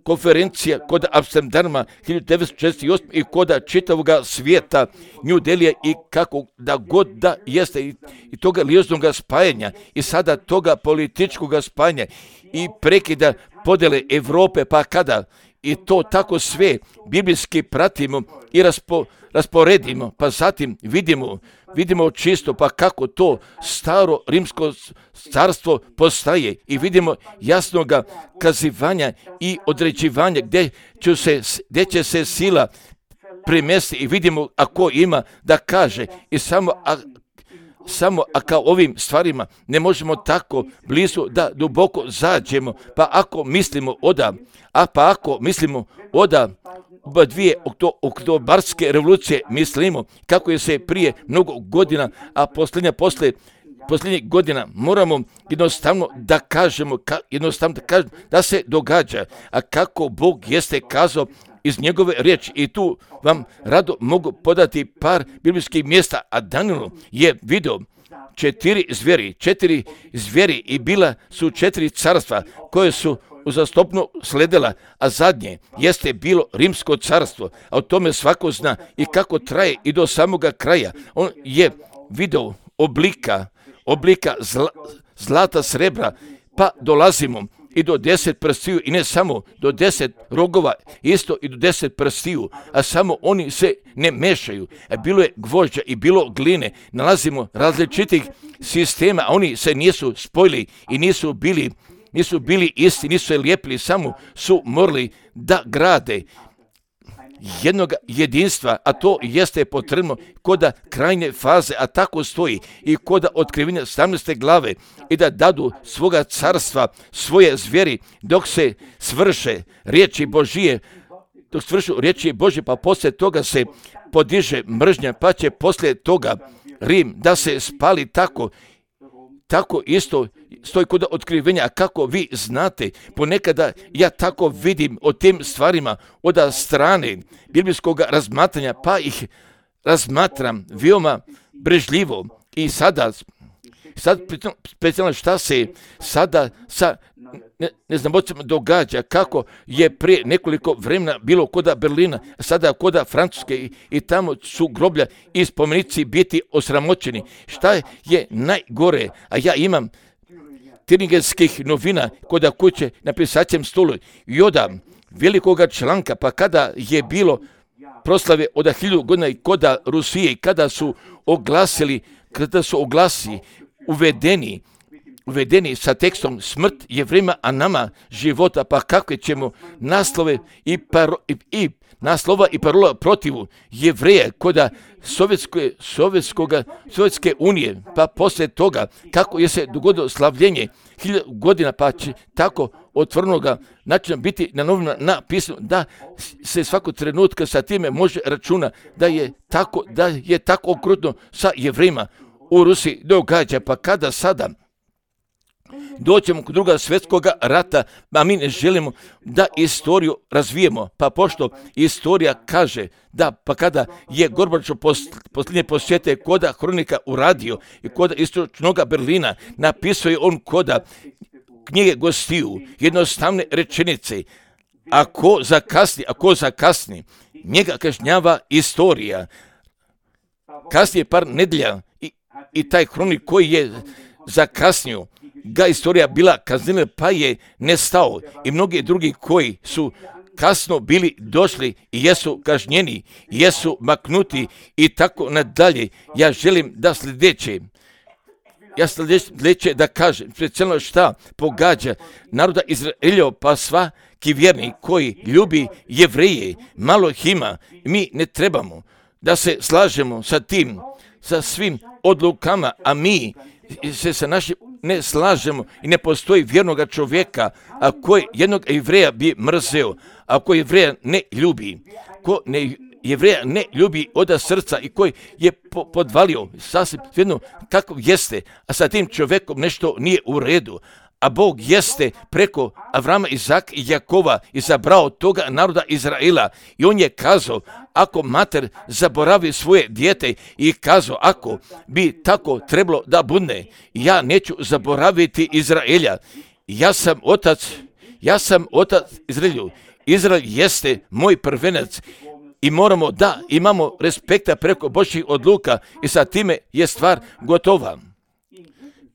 konferencija kod Amsterdama hiljadu devetsto šezdeset osme i kod čitavog svijeta New Delhija i kako da god da jeste i, i toga lioznog spajanja i sada toga političkog spajanja i prekida podjele Europe, pa kada i to tako sve biblijski pratimo i raspo, rasporedimo, pa zatim vidimo, vidimo čisto pa kako to staro rimsko carstvo postaje i vidimo jasnoga kazivanja i određivanja gdje će se, gdje će se sila premjesti i vidimo ako ima da kaže i samo a, Samo a kao ovim stvarima ne možemo tako blizu da duboko zađemo, pa ako mislimo oda, a pa ako mislimo oda oba dvije oktobarske revolucije mislimo kako je se prije mnogo godina, a posljednja posle posljednjih godina moramo jednostavno da kažemo, ka, jednostavno da kažemo da se događa, a kako Bog jeste kazao iz njegove riječi i tu vam rado mogu podati par biblijskih mjesta, a Daniel je vidio četiri zveri, četiri zveri i bila su četiri carstva koje su uzastopno sledila, a zadnje jeste bilo rimsko carstvo, a o tome svako zna i kako traje i do samoga kraja. On je vidio oblika, oblika zla, zlata, srebra, pa dolazimo i do deset prstiju i ne samo do deset rogova, isto i do deset prstiju, a samo oni se ne mešaju. E, bilo je gvožđa i bilo gline, nalazimo različitih sistema, a oni se nisu spojili i nisu bili, nisu bili isti, nisu se lijepili, samo su morali da grade jednog jedinstva, a to jeste potrebno koda krajnje faze, a tako stoji i koda otkrivenja sedamnaeste glave i da dadu svoga carstva, svoje zveri dok se svrše riječi Božije, dok svršu riječi Božje, pa poslije toga se podiže mržnja, pa će poslije toga Rim da se spali tako, tako isto stoji kod otkrivenja, a kako vi znate, ponekada ja tako vidim o tim stvarima od strane biblijskog razmatranja, pa ih razmatram veoma brežljivo i sada, sad specijalno šta se sada sa ne, ne znam događa, kako je prije nekoliko vremena bilo koda Berlina, sada koda Francuske i, i tamo su groblja i spomenici biti osramoćeni. Šta je najgore, a ja imam tiringenskih novina koda kuće na pisaćem stolu i oda velikoga članka, pa kada je bilo proslave od hiljadu godina i koda Rusije, kada su oglasili, kada su oglasi uvedeni, uvedeni sa tekstom smrt je vrijeme, a nama života, pa kakve ćemo naslove i, paro, i, i naslova i parola protivu Jevreje koda Sovjetske, Sovjetskoga, Sovjetske unije, pa poslije toga kako je se dogodilo slavljenje hiljadu godina, pa će tako otvornoga načina biti na novina napisano da se svakog trenutka sa time može računa da je tako, da je tako okrutno sa Jevrejima u Rusiji događa, pa kada sada doćemo kod druga svjetskog rata, a mi ne želimo da istoriju razvijemo, pa pošto istorija kaže da, pa kada je Gorbačov posljednje posjete koda Hronika uradio i koda istočnoga Berlina, napisao je on koda knjige gostiju jednostavne rečenice, ako zakasni, ako zakasni, njega kažnjava istorija. Kasnije par nedjelja i, i taj Hronik koji je zakasnio, ga istorija bila kaznila, pa je nestao i mnogi drugi koji su kasno bili došli i jesu kažnjeni, jesu maknuti i tako nadalje. Ja želim da sljedeće, ja sljedeće da kažem, specijalno šta pogađa naroda Izraelja, pa svaki vjernik koji ljubi Jevreje, malo ih ima, mi ne trebamo da se slažemo sa tim, sa svim odlukama, a mi se sa našim ne slažemo i ne postoji vjernoga čovjeka, a koji jednog Jevreja bi mrzeo, a koji Jevreja ne ljubi, ko ne, Jevreja ne ljubi od srca i koji je po, podvalio sasvim jedno kako jeste, a sa tim čovjekom nešto nije u redu. a Bog jeste preko Avrama, Izaka i Jakova izabrao toga naroda Izraela. I on je kazao, ako mater zaboravi svoje dijete i kazao, ako bi tako trebalo da bude, ja neću zaboraviti Izraelja. Ja sam otac, ja sam otac Izraelju. Izrael jeste moj prvenac i moramo da imamo respekta preko Božjih odluka i sa time je stvar gotova.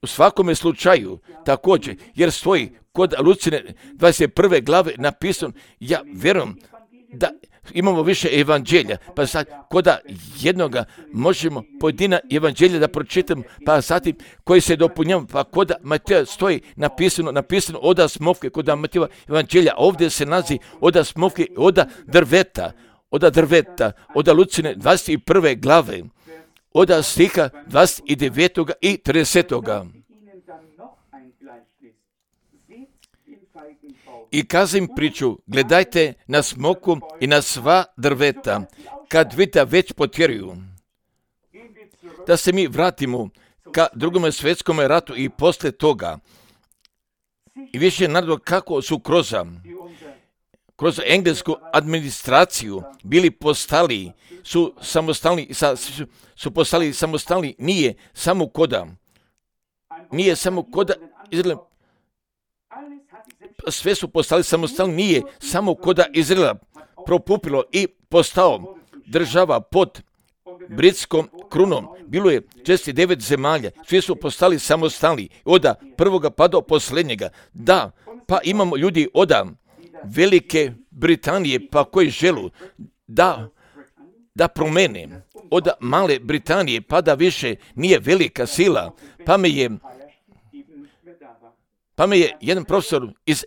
U svakome slučaju također, jer stoji kod Lucine dvadeset prve glave napisano, ja vjerujem da imamo više evanđelja, pa sad kod jednoga možemo pojedina evanđelja da pročitamo, pa zatim koji se dopunjamo, pa kod Mateja stoji napisano, napisano oda smovke, kod Mateja evanđelja, ovdje se nalazi oda smovke, oda drveta, oda drveta, oda Lucine dvadeset prve glave, oda stiha dvadeset devetog i tridesetog I kazim priču, gledajte na smoku i na sva drveta, kad vidite već potjeruju. Da se mi vratimo ka drugome svjetskom ratu i posle toga. I više narodu kako su kroz, kroz englesku administraciju bili postali, su samostalni, su, su postali samostalni, nije samo koda, nije samo koda Izraela, sve su postali samostalni, nije samo koda Izraela propupilo i postao država pod britskom krunom. Bilo je šezdeset devet zemalja, svi su postali samostalni, od prvoga pa do posljednjega. Da, pa imamo ljudi od Velike Britanije, pa koji želu da, da promene od male Britanije, pa da više nije velika sila, pa me je Pa me je jedan profesor iz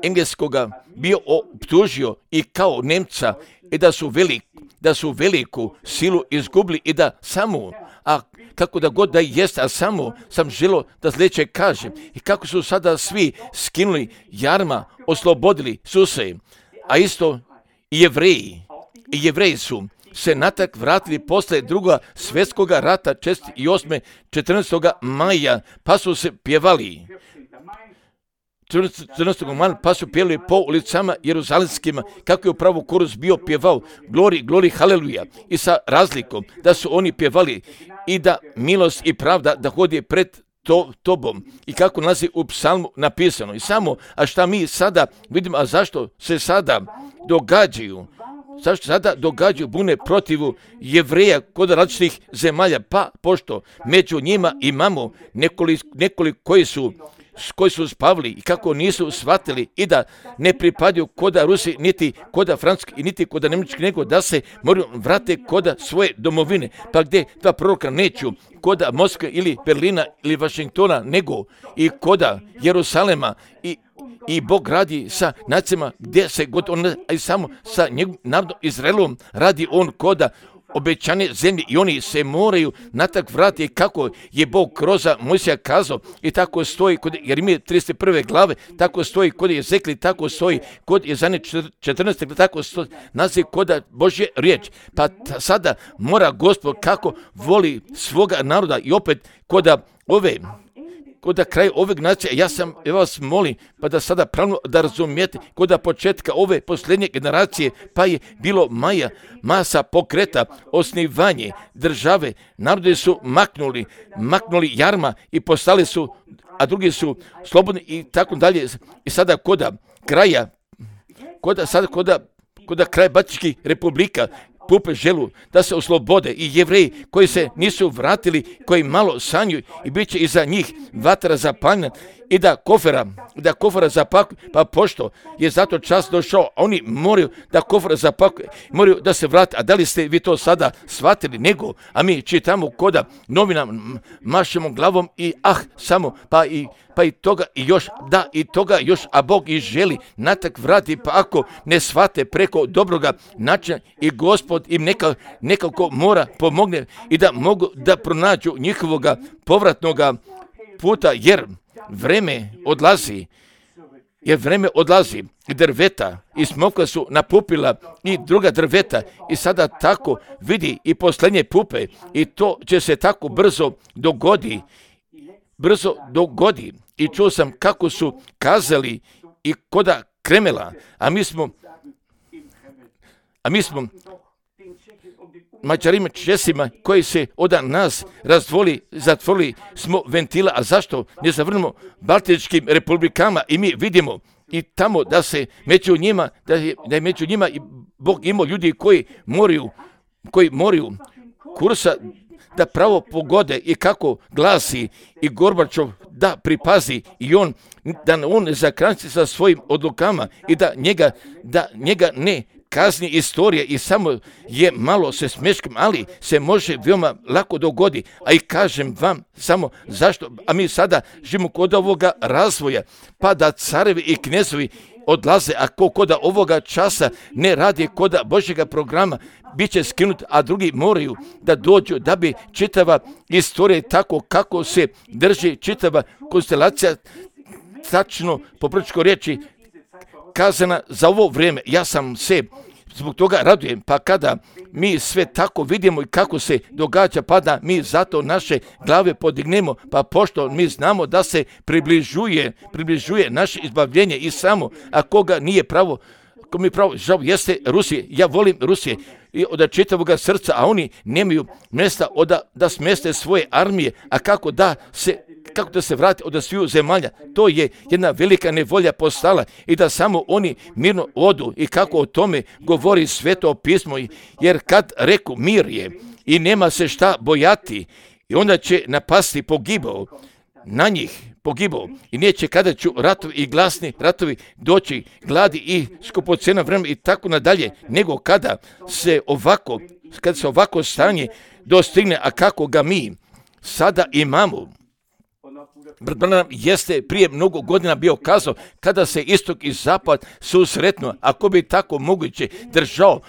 engleskoga bio optužio i kao Nemca i da su, velik, da su veliku silu izgubili i da samo, a kako da god da jest, a samo sam želio da sljedeće kažem i kako su sada svi skinuli jarma, oslobodili su se, a isto i Jevreji, i Jevreji su se natak vratili posle druga svjetskog rata četrdeset osme četrnaestog maja, pa su se pjevali. četrnaestog maja pa su pjevali po ulicama jeruzalemskima, kako je upravo korus bio pjevao glori, glori, haleluja, i sa razlikom da su oni pjevali i da milost i pravda da hodi pred to, tobom i kako nalazi u psalmu napisano. I samo, a šta mi sada vidimo, a zašto se sada događaju, zašto sada događaju bune protivu Jevreja kod različitih zemalja, pa pošto među njima imamo nekoliko, nekoliko koji su koji su spavili i kako nisu shvatili i da ne pripadaju koda Rusi, niti koda Francuski, niti koda Njemački, nego da se moraju vrate koda svoje domovine. Pa gdje dva proroka neću koda Moskve ili Berlina ili Vašingtona, nego i koda Jerusalema i I Bog radi sa nacijama gdje se god on, a i samo sa njegovim narodom Izraelom radi on koda obećane zemlje i oni se moraju natak vratiti kako je Bog kroz Mojsija kazao i tako stoji kod Jeremije trideset prve glave, tako stoji kod Jezekli, tako stoji kod Jezanje četrnaeste glave, tako stoji naziv koda Božje riječ. Pa ta, sada mora Gospod kako voli svoga naroda i opet koda ove kod da kraj ovog nacija, ja sam, ja vas molim, pa da sada pravno da razumijete, kod da početka ove posljednje generacije, pa je bilo maja, masa pokreta, osnivanje države, narodi su maknuli, maknuli jarma i postali su, a drugi su slobodni i tako dalje. I sada kod kraja, kod sada kod kod kraj Baltičkih republika, pupe želu da se oslobode i Jevreji koji se nisu vratili, koji malo sanjuju i bit će iza njih vatra zapaljena i da kofera, da kofera zapakuju, pa pošto je zato čas došao, oni moraju da kofera zapakuju, moraju da se vrate, a da li ste vi to sada shvatili, nego, a mi čitamo koda novina, mašemo glavom i ah, samo, pa i pa i toga i još, da i toga još, a Bog i želi natak vrati, pa ako ne shvate preko dobroga načina i Gospod im neka, nekako mora pomogne i da mogu da pronađu njihovoga povratnoga puta, jer vreme odlazi, jer vreme odlazi i drveta i smokva su napupila i druga drveta i sada tako vidi i posljednje pupe i to će se tako brzo dogodi, brzo dogodi i čuo sam kako su kazali i koda Kremela, a mi smo, a mi smo Mađarima, Česima koji se od nas razdvoli, zatvorili smo ventila, a zašto ne zavrnemo Baltičkim republikama i mi vidimo i tamo da se među njima, da je, da je među njima i Bog imao ljudi koji moraju, koji moraju kursa da pravo pogode i kako glasi i Gorbačov da pripazi i on, da on ne zakranci sa svojim odlukama i da njega, da njega ne kazni istorije i samo je malo se smeškim, ali se može veoma lako dogodi. A i kažem vam samo zašto, a mi sada živimo kod ovoga razvoja, pa da carevi i knezovi odlaze, a ko koda ovoga časa ne radi koda Božjega programa, bit će skinut, a drugi moraju da dođu da bi čitava istorija tako kako se drži čitava konstelacija tačno po prčko riječi kazana za ovo vrijeme. Ja sam se zbog toga radujem, pa kada mi sve tako vidimo i kako se događa, pa da mi zato naše glave podignemo, pa pošto mi znamo da se približuje, približuje naše izbavljenje i samo, a koga nije pravo, ko mi pravo, žao, jeste Rusije, ja volim Rusije i od čitavog srca, a oni nemaju mjesta da, da smjeste svoje armije, a kako da se kako da se vrati od sviju zemalja. To je jedna velika nevolja postala i da samo oni mirno odu i kako o tome govori Sveto pismo, jer kad reku mir je i nema se šta bojati i onda će napasti pogibao na njih, pogibao i neće kada ću ratovi i glasni ratovi doći, gladi i skupocena vremena i tako nadalje, nego kada se ovako, kada se ovako stanje dostigne, a kako ga mi sada imamo. Brat Branham jeste prije mnogo godina bio kazao kada se istok i zapad susretnu, ako bi tako moguće držao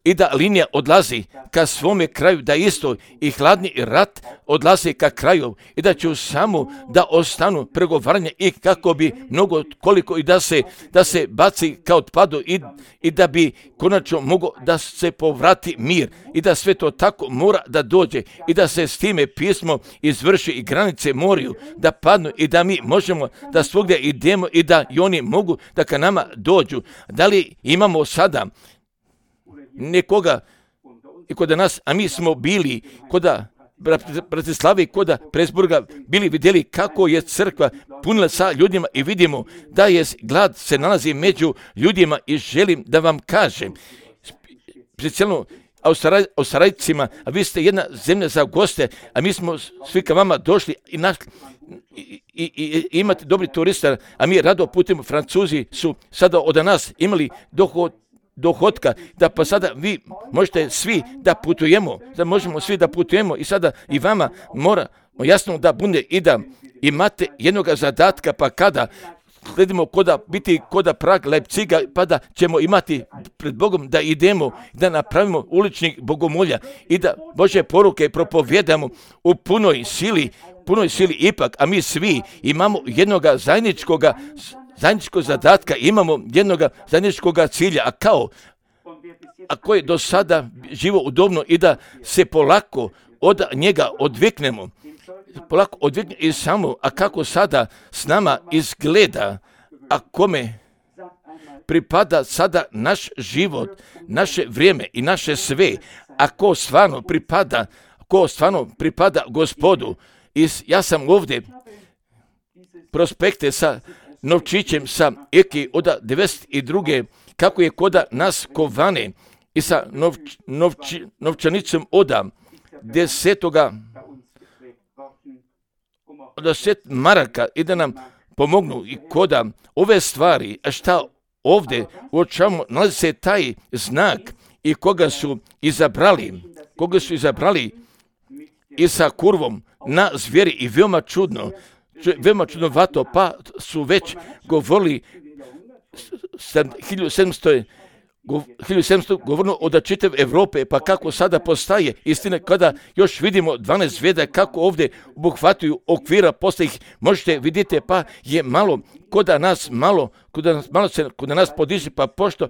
i da linija odlazi ka svome kraju, da isto i hladni rat odlazi ka kraju i da će samo da ostanu pregovaranja i kako bi mnogo koliko i da se, da se baci kao otpadu i, i da bi konačno mogo da se povrati mir i da sve to tako mora da dođe i da se s time pismo izvrši i granice moraju da padnu i da mi možemo da svugdje idemo i da i oni mogu da ka nama dođu. Da li imamo sada nekoga i kod nas, a mi smo bili koda Bratislavi, koda Presburga, bili vidjeli kako je crkva punila sa ljudima i vidimo da je glad se nalazi među ljudima i želim da vam kažem, specijalno Australijcima, a vi ste jedna zemlja za goste, a mi smo svi ka vama došli i, naš, i, i, i imate dobri turista, a mi rado putimo. Francuzi su sada od nas imali dohod dohodka, da pa sada vi možete svi da putujemo, da možemo svi da putujemo i sada i vama mora jasno da bude i da imate jednog zadatka, pa kada sledimo koda biti koda Prag, Leipziga, pa da ćemo imati pred Bogom da idemo, da napravimo uličnih bogomolja i da Božje poruke propovjedamo u punoj sili, punoj sili ipak, a mi svi imamo jednog zajedničkog zajedničkog zadatka, imamo jednog zajedničkog cilja, a kao a koji do sada živo udobno i da se polako od njega odviknemo, polako odviknemo i samo, a kako sada s nama izgleda, a kome pripada sada naš život, naše vrijeme i naše sve, a ko stvarno pripada, ko stvarno pripada Gospodu. I ja sam ovdje prospekte sa novčićem sa Eki od devedeset druge kako je koda nas kovane i sa novč, novči, novčanicom od desetoga od deset maraka i da nam pomognu i koda ove stvari, a šta ovdje uočavamo, nalazi se taj znak i koga su izabrali, koga su izabrali i sa kurvom na zvijeri i veoma čudno, veoma čudnovato, pa su već govorili hiljadu sedamsto govorno od čitave Europe, pa kako sada postaje istina kada još vidimo dvanaest zvijezda kako ovdje obuhvataju okvira, posle ih možete vidite, pa je malo koda nas malo, koda nas malo se koda nas podiže, pa pošto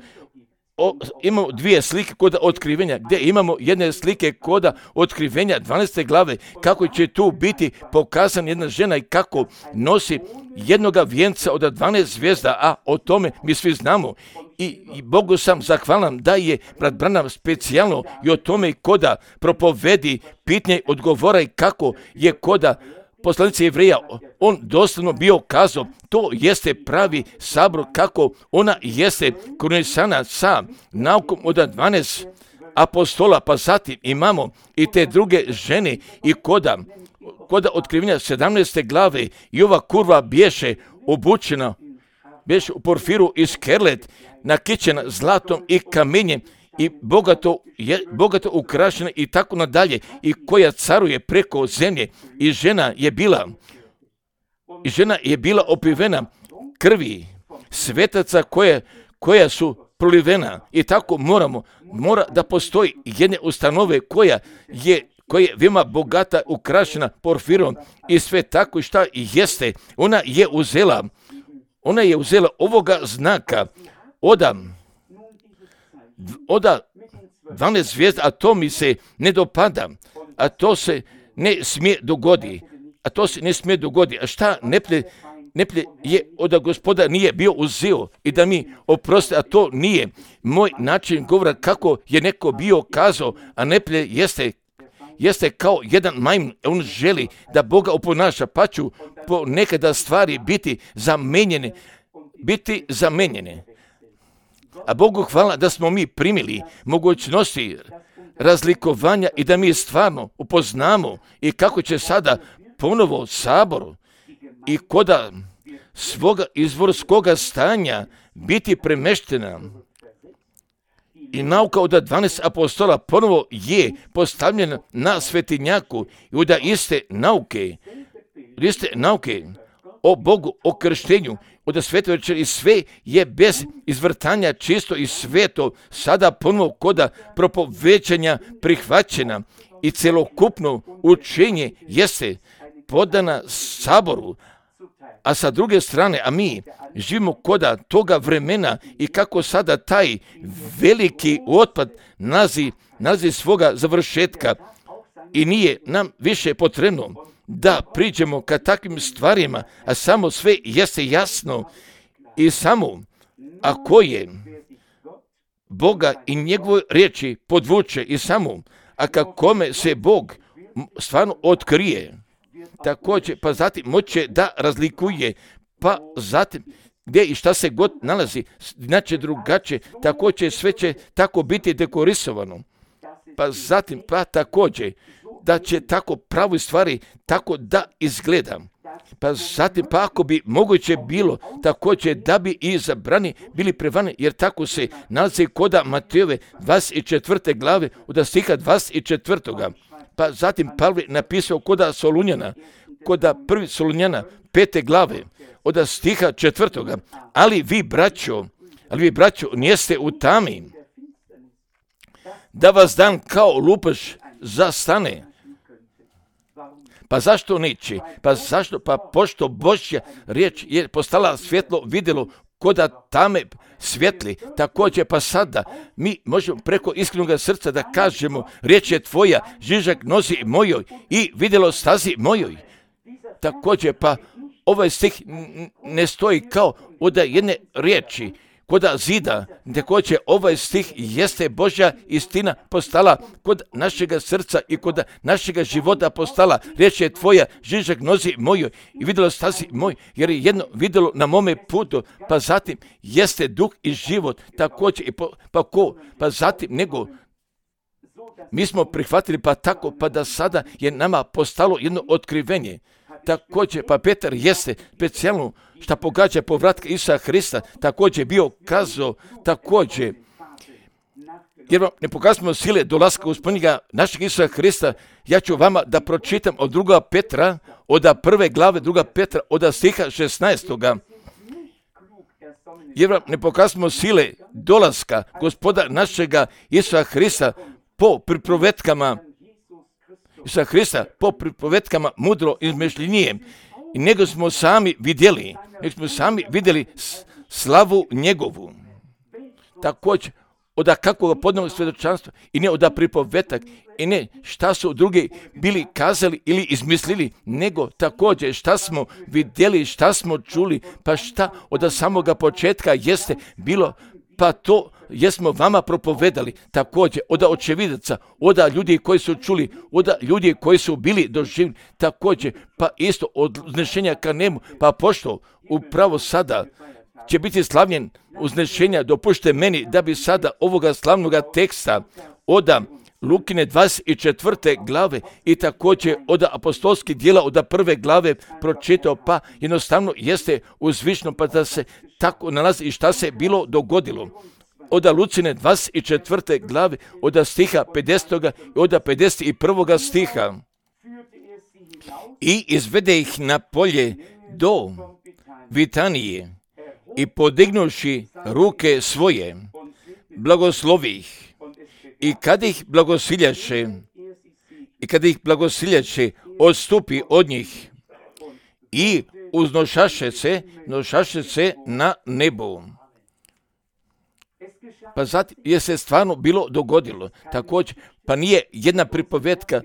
o, imamo dvije slike koda otkrivenja, gdje imamo jedne slike koda otkrivenja dvanaeste glave, kako će tu biti pokazana jedna žena i kako nosi jednoga vijenca od dvanaest zvijezda, a o tome mi svi znamo. I, i Bogu sam zahvalan da je brat Branham specijalno i o tome koda propovedi pitanje odgovora i kako je koda poslanice Jevreja, on doslovno bio kazao, to jeste pravi sabor, kako ona jeste krunisana sa naukom od dvanaest apostola, pa zatim imamo i te druge žene i koda, koda otkrivenja sedamnaeste glave i ova kurva biješe obučena, biješe u porfiru i skerlet, nakićena zlatom i kamenjem i bogato, je, bogato ukrašena i tako nadalje, i koja caruje preko zemlje, i žena je bila i žena je bila opivena krvi svetaca koje, koja su prolivena, i tako moramo mora da postoji jedne ustanove koja je koja je veoma bogata, ukrašena porfirom i sve tako i šta jeste. Ona je uzela ona je uzela ovoga znaka oda oda dvanaest zvijezda, a to mi se ne dopada, a to se ne smije dogodi, a to se ne smije dogodi, a šta neplje, neplje je oda Gospoda nije bio uzeo i da mi oprosti, a to nije moj način govora kako je neko bio kazao, a neplje jeste jeste kao jedan majmun, on želi da Boga oponaša, pa ću po nekada stvari biti zamenjene, biti zamenjene. A Bogu hvala da smo mi primili mogućnosti razlikovanja i da mi stvarno upoznamo i kako će sada ponovo sabor i koda svoga izvorskoga stanja biti premeštena. I nauka od dvanaest apostola ponovo je postavljena na svetinjaku i od iste nauke, od iste nauke o Bogu, o krštenju, od svete večeri, i sve je bez izvrtanja čisto i sveto sada ponovo koda propovećanja prihvaćena i celokupno učenje jeste podana saboru. A sa druge strane, a mi živimo koda toga vremena i kako sada taj veliki otpad nalazi, nalazi svoga završetka i nije nam više potrebno da priđemo ka takvim stvarima, a samo sve jeste jasno i samo ako je Boga i njegove riječi podvuče i samo, a kakome se Bog stvarno otkrije, također, pa zatim moće da razlikuje, pa zatim gdje i šta se god nalazi, znači drugačije, također sve će tako biti dekorisovano, pa zatim, pa također, da će tako pravi stvari tako da izgleda. Pa zatim, pa ako bi moguće bilo također da bi i zabrani bili prevani, jer tako se nalazi koda Matejove dvadeset četvrte glave od stiha dvadeset četvrtoga. Pa zatim Pavle napisao koda Solunjana, koda prvi Solunjana pete glave od stiha četvrtoga. Ali vi, braćo, ali vi, braćo, nijeste u tami, da vas dan kao lupaš zastane. Pa zašto neće? Pa zašto? Pa pošto Božja riječ je postala svjetlo vidjelo koda tame svjetli, također pa sada mi možemo preko iskrenog srca da kažemo, riječ je tvoja, žižak nozi mojoj i vidjelo stazi mojoj. Također pa ovaj stih ne stoji kao od jedne riječi, koda zida, također ovaj stih jeste Božja istina postala kod našega srca i kod našega života postala. Riječ je tvoja, žižak nozi mojoj i vidjelo stazi moj, jer je jedno vidjelo na mome putu, pa zatim jeste duh i život, također i po, pa ko, pa zatim nego mi smo prihvatili pa tako, pa da sada je nama postalo jedno otkrivenje. Također, pa Petar jeste specijalno šta pogađa povratka Isusa Hrista, također bio kazao, također, jer vam ne pokazujemo sile dolaska Gospodnjega našeg Isusa Hrista, ja ću vama da pročitam od druga Petra, od prve glave druga Petra, od stiha šesnaestoga. Jer vam ne pokazujemo sile dolaska Gospoda našega Isusa Hrista po pripovetkama Isusa Hrista, po pripovetkama mudro izmišljenije, i nego smo sami vidjeli, nego smo sami vidjeli slavu njegovu. Također, od kakvog podnog svjedočanstva i ne od pripovetak i ne šta su drugi bili kazali ili izmislili, nego također šta smo vidjeli, šta smo čuli, pa šta od samoga početka jeste bilo, pa to jesmo vama propovedali, također od očevidaca, od ljudi koji su čuli, od ljudi koji su bili doživljeni, također pa isto od uznešenja ka nebu, pa pošto upravo sada će biti slavljen uznešenja, dopušte meni da bi sada ovoga slavnoga teksta od Lukine dvadeset četvrte glave i također od apostolskih dijela od prve glave pročitao, pa jednostavno jeste uzvišno, pa da se tako nalazi i šta se bilo dogodilo. Od Lucine dvadeset četvrte glave, od stiha pedesetog i od pedeset prvog stiha. I izvede ih na polje do Vitanije i podignuši ruke svoje, blagoslovi ih. I kad ih blagosiljaše, i kad ih blagosiljaše, odstupi od njih i uznošaše se, nošaše se na nebu. Pa zatim je se stvarno bilo dogodilo. Također, pa nije jedna pripovetka,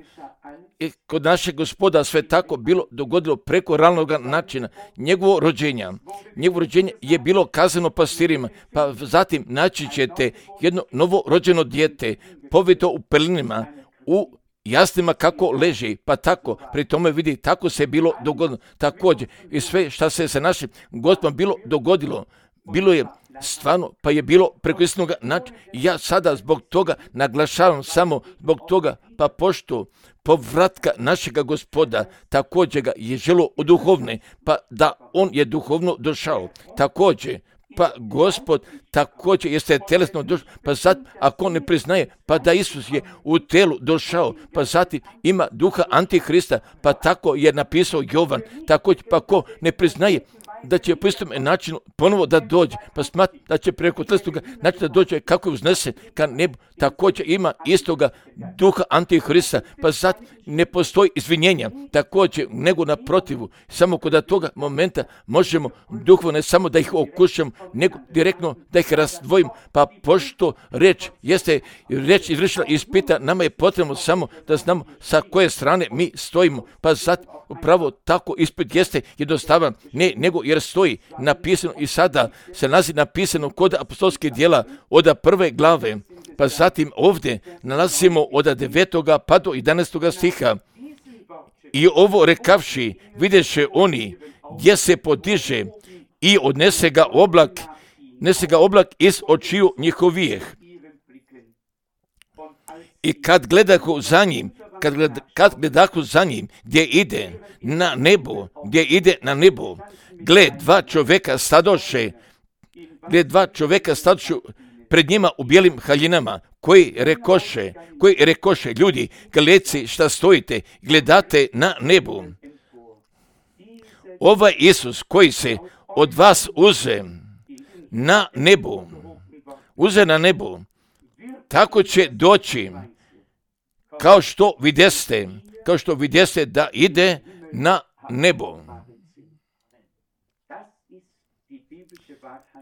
kod našeg Gospoda sve tako bilo dogodilo preko realnog načina. Njegovo rođenja, njegovo rođenje je bilo kazano pastirima, pa zatim naći ćete jedno novo rođeno dijete, povito u pelinima, u jasnima kako leži, pa tako, pri tome vidi, tako se bilo dogodilo. Također, i sve što se sa našim Gospodom bilo dogodilo, bilo je stvarno, pa je bilo preko istinoga načina. Ja sada zbog toga naglašavam samo zbog toga, pa pošto povratka našega Gospoda, također ga je želo u duhovne, pa da on je duhovno došao. Također, pa Gospod također jeste telesno došao, pa sad ako on ne priznaje, pa da Isus je u telu došao, pa zatim ima duha Antihrista, pa tako je napisao Jovan, također pa ko ne priznaje da će po istom načinu ponovo da dođe, pa smatra da će preko telesnoga načina da dođe kako je uznesen ka nebu, također ima istoga duha Antihrista, pa sad ne postoji izvinjenja, također nego naprotivu, samo kod toga momenta možemo duhovno ne samo da ih okušamo, nego direktno da ih razdvojimo, pa pošto reč jeste, reč izvršila ispita, nama je potrebno samo da znamo sa koje strane mi stojimo, pa sad upravo tako ispit jeste jednostavan, ne, nego jer stoji napisano i sada se nalazi napisano kod apostolskih dijela od prve glave, pa zatim ovdje nalazimo od devetoga pa do jedanaestoga stiha. I ovo rekavši, videše oni gdje se podiže i odnese ga oblak, nese ga oblak iz očiju njihovijeh. I kad gledahu za njim, kad, gled, kad gledahu za njim, gdje ide na nebo, gdje ide na nebo, gled dva čovjeka stadoše, gled dva čovjeka stadoše pred njima u bijelim haljinama, koji rekoše, koji rekoše, ljudi, gledci šta stojite, gledate na nebu. Ovaj Isus koji se od vas uze na nebu, uze na nebu, tako će doći, kao što vidjeste, kao što vidjeste da ide na nebo.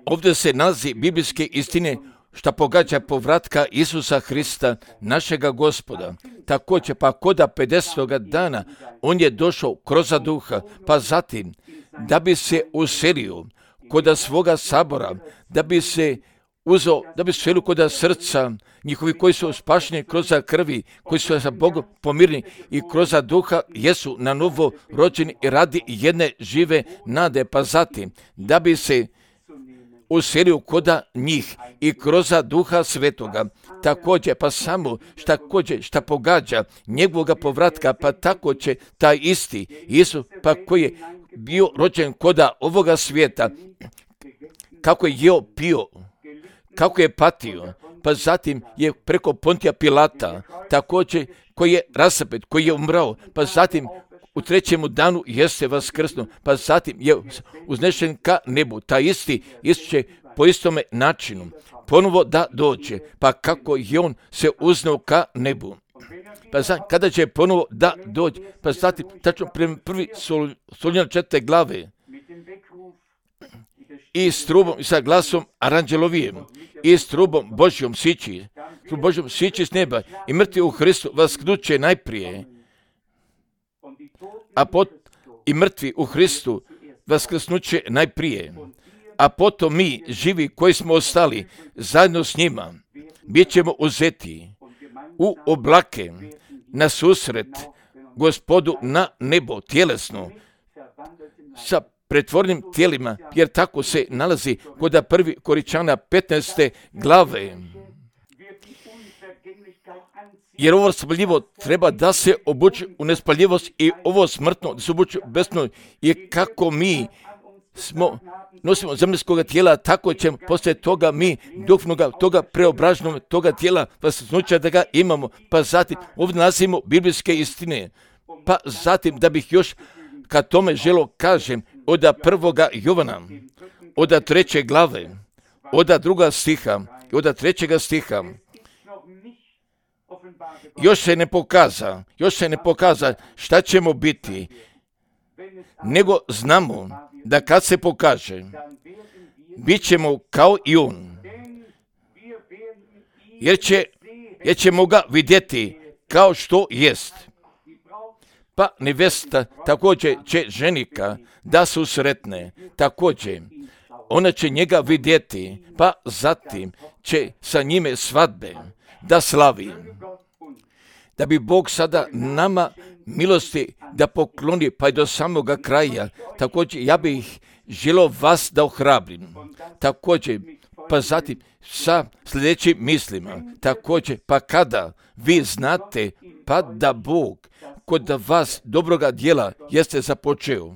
Ovdje se nalazi biblijske istine što pogađa povratka Isusa Hrista, našega Gospoda. Također, pa koda pedesetoga dana, on je došao kroz duha, pa zatim, da bi se uselio koda svoga sabora, da bi se uzeo, da bi se uselio koda srca njihovi koji su spašeni kroz krvi, koji su sa Bogom pomirni i kroz duha jesu na novo rođeni i radi jedne žive nade, pa zatim, da bi se uselio koda njih i kroz duha svetoga. Također, pa samo šta kođe, šta pogađa njegovoga povratka, pa tako će taj isti Isus, pa koji je bio rođen koda ovoga svijeta, kako je jeo, pio, kako je patio, pa zatim je preko Pontija Pilata, također koji je rasapet, koji je umrao, pa zatim u trećemu danu jeste vaskrsno, pa zatim je uznešen ka nebu. Ta isti Isus će po istome načinu ponovo da dođe, pa kako je on se uznao ka nebu. Pa zatim, kada će ponovo da dođe, pa zatim, tačno prema prvi Solunjana četvrte glave, i s trubom i sa glasom aranđelovijem i s trubom Božjom sići, s Božjom sići s neba i mrtvi u Hristu vasknuće najprije, a pot i mrtvi u Hristu vaskrsnuće najprije, a potom mi, živi koji smo ostali, zajedno s njima, bit ćemo uzeti u oblake na susret Gospodu na nebo tjelesno, sa pretvornim tijelima, jer tako se nalazi kod prvi Koričana petnaeste glave. Jer ovo spaljivo treba da se obuče u nespaljivost i ovo smrtno da se obuče u besno, i kako mi smo, nosimo zemaljskoga tijela, tako ćemo poslije toga mi duhovnoga, toga preobraženog, toga tijela vaskrsnuća da ga imamo. Pa zatim ovdje nalazimo biblijske istine. Pa zatim da bih još kad tome želo kažem, od prvoga Jovana, od treće glave, od druga stiha, od trećega stiha, još se ne pokaza, još se ne pokaza šta ćemo biti, nego znamo da kad se pokaže, bit ćemo kao i on, jer, će, jer ćemo ga vidjeti kao što jest. Pa nevesta također će ženika da su sretne, također ona će njega vidjeti, pa zatim će sa njime svadbe da slavi. Da bi Bog sada nama milosti da pokloni pa i do samoga kraja, također ja bih želio vas da ohrabrim, također pa zatim sa sljedećim mislima, također pa kada vi znate pa da Bog kod vas dobroga djela jeste započeo,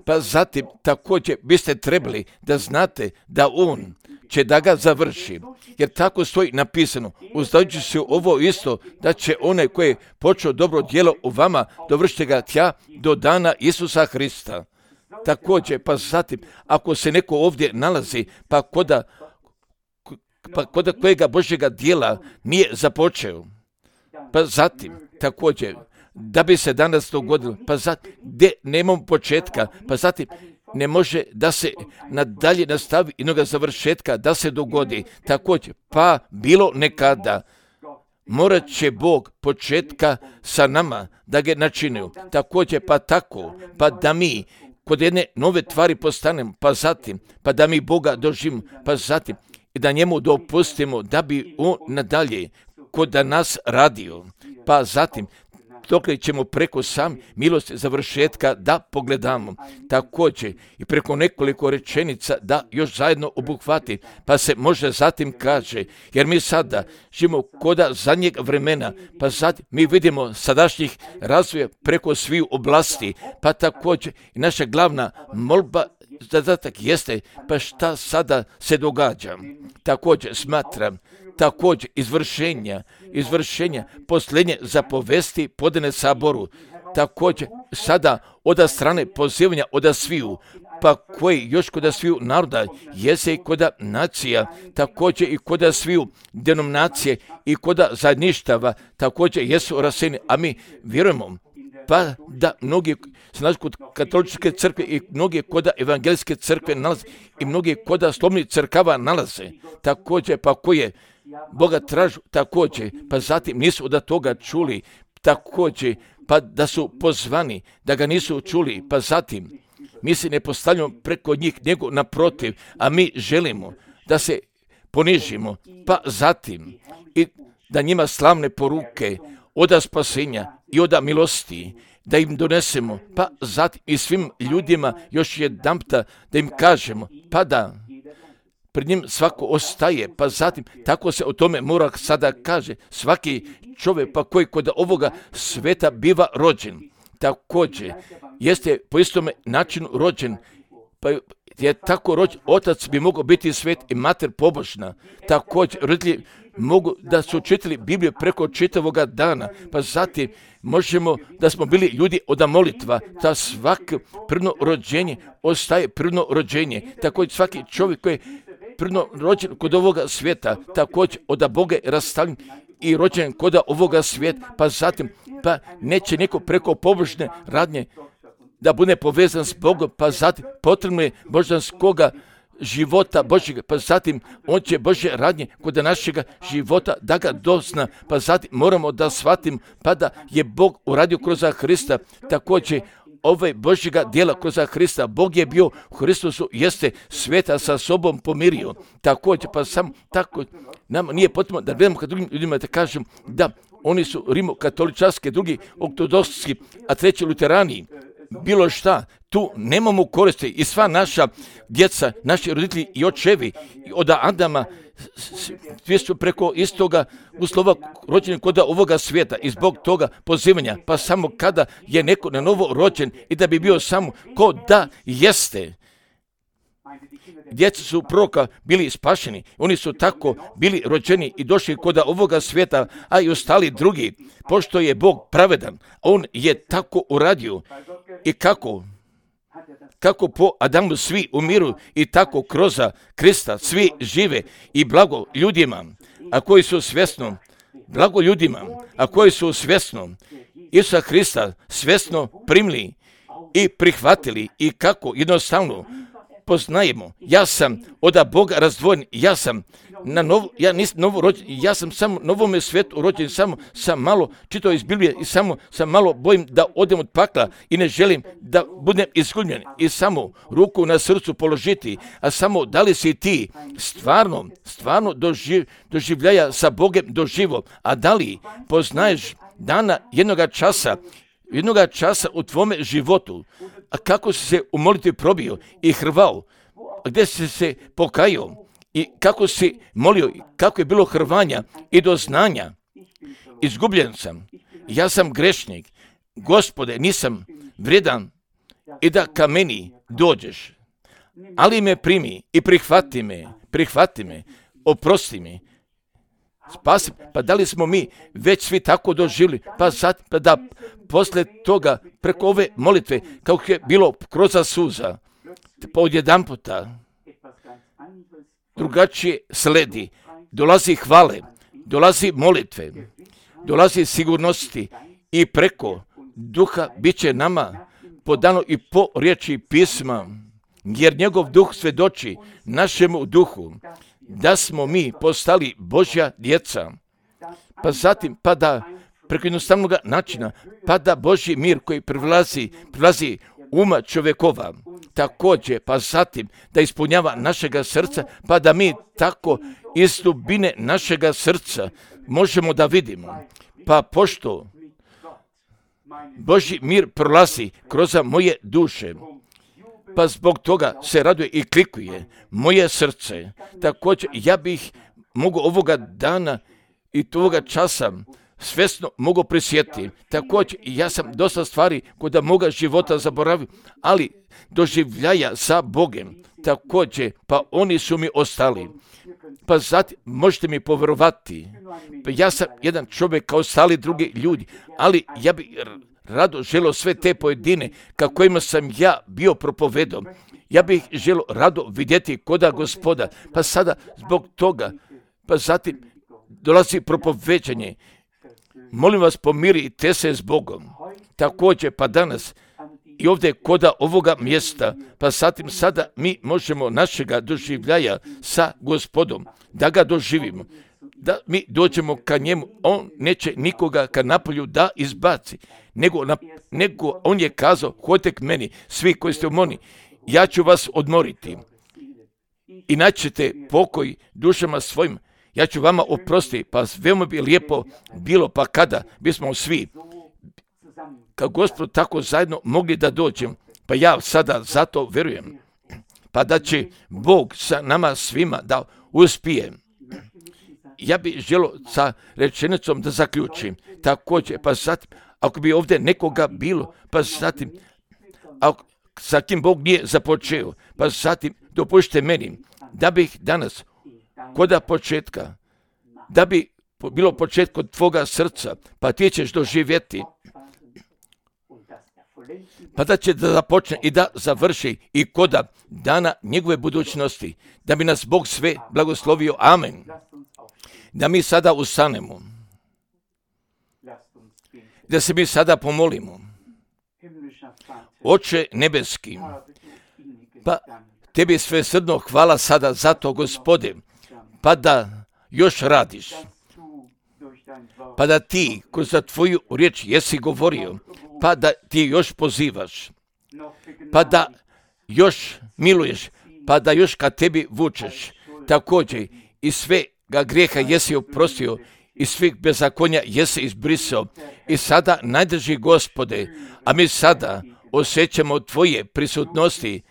pa zatim također biste trebali da znate da on će da ga završi, jer tako stoji napisano, uzdajući se ovo isto, da će onaj koji je počeo dobro djelo u vama dovršiti ga tja do dana Isusa Hrista. Također, pa zatim, ako se neko ovdje nalazi, pa koda, pa koda kojega Božjega djela nije započeo, pa zatim, također, da bi se danas dogodilo, pa zatim, gdje nemamo početka, pa zatim, ne može da se nadalje nastavi inoga završetka, da se dogodi. Također, pa bilo nekada, morat će Bog početka sa nama da ga načinio. Također, pa tako, pa da mi kod jedne nove tvari postanemo, pa zatim, pa da mi Boga doživimo, pa zatim, i da njemu dopustimo da bi on nadalje kod nas radio, pa zatim, dokle ćemo preko sam milosti završetka da pogledamo. Također i preko nekoliko rečenica da još zajedno obuhvati, pa se može zatim kaže, jer mi sada živimo koda zadnjeg vremena, pa zatim mi vidimo sadašnjih razvoja preko svih oblasti, pa također i naša glavna molba, zadatak jeste, pa šta sada se događa. Također smatram, također izvršenja, izvršenja posljednje zapovesti podane saboru, također sada od strane pozivanja od sviju, pa koji još kod sviju naroda, jese i kod nacija, također i kod sviju denominacije i kod zajedništava, također jesu raseni, a mi vjerujemo, pa da mnogi se nalaze kod katoličke crkve i mnogi kod evangelijske crkve nalaze i mnogi kod slobodnih crkava nalaze, također pa koje Boga tražu, također, pa zatim nisu od toga čuli, također, pa da su pozvani, da ga nisu čuli, pa zatim, mi se ne postavljamo preko njih, nego naprotiv, a mi želimo da se ponižimo, pa zatim, i da njima slavne poruke od spasenja i od milosti, da im donesemo, pa zatim i svim ljudima još jedanputa da im kažemo, pa da pred njim svako ostaje, pa zatim tako se o tome mora sada kaže, svaki čovjek pa koji kod ovoga sveta biva rođen, također jeste po istome načinu rođen, pa je tako rođen, otac bi mogao biti svet i mater pobožna, također roditelji mogu da su čitali Bibliju preko čitavoga dana, pa zatim možemo da smo bili ljudi od molitva, da svako prvno rođenje ostaje prvno rođenje, također svaki čovjek koji je prvno rođen kod ovoga svijeta, također od Boga je rastavljen i rođen kod ovoga svijeta, pa zatim, pa neće neko preko pobožne radnje da bude povezan s Bogom, pa zatim potrebno je božanskoga života Božjega, pa zatim on će Božje radnje kod našega života da ga dosna, pa zatim moramo da shvatim pa da je Bog uradio kroz Hrista, također ove Božjega djela kroz Hrista. Bog je bio u Hristusu, jeste sveta sa sobom pomirio. Također, pa sam tako, nam nije potrebno da gledamo kad drugim ljudima da kažem da oni su rimokatoličarski, drugi ortodoksi, a treći luterani, bilo šta, tu nemamo koristi i sva naša djeca, naši roditelji i očevi od Adama svi su preko istoga uslova rođeni kod ovoga svijeta i zbog toga pozivanja, pa samo kada je neko na novo rođen i da bi bio samo ko da jeste. Djeca su proroka bili spašeni, oni su tako bili rođeni i došli kod ovoga svijeta, a i ostali drugi, pošto je Bog pravedan, on je tako uradio. I kako? Kako po Adamu svi umiru i tako kroz Krista svi žive i blago ljudima, a koji su svjesno, blago ljudima, a koji su svjesno Isusa Krista svjesno primili i prihvatili i kako jednostavno poznajemo. Ja sam od Boga razdvojen, ja sam na novo, ja nisam novo rođen, ja sam samo novome svijetu rođen, samo sam malo čitao iz Biblije i samo sam malo bojim da odem od pakla i ne želim da budem izgubljen i samo ruku na srcu položiti, a samo da li si ti stvarno, stvarno doživ, doživljaja sa Bogem doživo, a da li poznaješ dana jednoga časa, jednoga časa u tvome životu, a kako si se u molitvi probio i hrvao, gdje si se pokajao i kako si molio, kako je bilo hrvanja i doznanja. Izgubljen sam, ja sam grešnik, Gospode, nisam vredan i da ka meni dođeš, ali me primi i prihvati me, prihvati me, oprosti me, spasi. Pa da li smo mi već svi tako doživjeli, pa sad pa da posle toga preko ove molitve, kako je bilo kroz suza, pa odjedan puta drugačije sledi, dolazi hvale, dolazi molitve, dolazi sigurnosti i preko duha bit će nama podano i po riječi pisma, jer njegov duh svedoči našemu duhu da smo mi postali Božja djeca. Pa zatim, pa da preko jednostavnog načina, pa da Božji mir koji privlazi, privlazi uma čovjekova, također, pa zatim da ispunjava našega srca, pa da mi tako iz dubine našega srca možemo da vidimo. Pa pošto Božji mir prolazi kroz moje duše, pa zbog toga se raduje i klikuje moje srce. Također, ja bih mogu ovoga dana i toga časa svjesno mogu prisjetiti. Također, ja sam dosta stvari kod moga života zaboravio, ali doživljaja sa Bogem. Također, pa oni su mi ostali. Pa zatim, možete mi povjerovati, pa ja sam jedan čovjek kao ostali drugi ljudi, ali ja bih rado želio sve te pojedine kako kojima sam ja bio propovedom. Ja bih želio rado vidjeti koda Gospoda, pa sada zbog toga, pa zatim dolazi propoveđanje. Molim vas, pomirite se s Bogom. Također, pa danas i ovdje koda ovoga mjesta, pa zatim sada mi možemo našega doživljaja sa Gospodom, da ga doživimo, da mi dođemo ka njemu. On neće nikoga ka napolju da izbaci, nego, na, nego on je kazao, hodite k meni, svi koji ste umorni, ja ću vas odmoriti i naćete pokoj dušama svojim. Ja ću vama oprostiti, pa veoma bi lijepo bilo, pa kada bismo svi, kao Gospod, tako zajedno mogli da dođem, pa ja sada zato verujem, pa da će Bog sa nama svima da uspije. Ja bih želio sa rečenicom da zaključim, također, pa zatim, ako bi ovdje nekoga bilo, pa zatim, ako, sa kim Bog nije započeo, pa zatim dopušte meni, da bih danas, koda početka, da bi bilo početko tvoga srca, pa ti ćeš doživjeti, pa da će da započne i da završi i koda dana njegove budućnosti, da bi nas Bog sve blagoslovio. Amen. Da mi sada ustanemo, da se mi sada pomolimo. Oče nebeski, pa tebi svesrdno hvala sada za to, Gospode, pa da još radiš, pa da ti kroz tvoju riječ jesi govorio, pa da ti još pozivaš, pa da još miluješ, pa da još ka tebi vučeš. Također i sve ga grijeha jesi oprostio i svih bezakonja jesi izbrisao. I sada najdrži, Gospode, a mi sada osjećamo tvoje prisutnosti,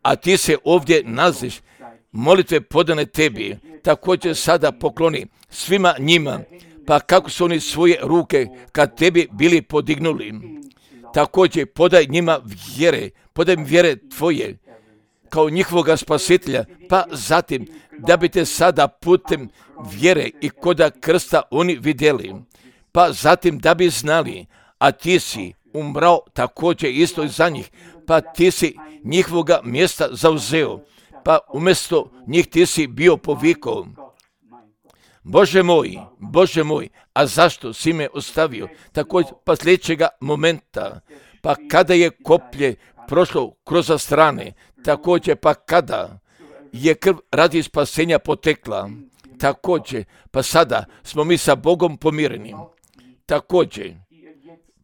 a ti se ovdje nalaziš, molitve podane tebi. Također sada pokloni svima njima, pa kako su oni svoje ruke kad tebi bili podignuli. Također podaj njima vjere, podaj im vjere tvoje kao njihovoga spasitelja, pa zatim da bi te sada putem vjere i koda krsta oni vidjeli, pa zatim da bi znali, a ti si umrao također isto i za njih, pa ti si njihovoga mjesta zauzeo, pa umjesto njih ti si bio povikao. Bože moj, Bože moj, a zašto si me ostavio? Također pa sljedećega momenta, pa kada je koplje prošlo kroz strane, također pa kada je krv radi spasenja potekla, također pa sada smo mi sa Bogom pomireni. Također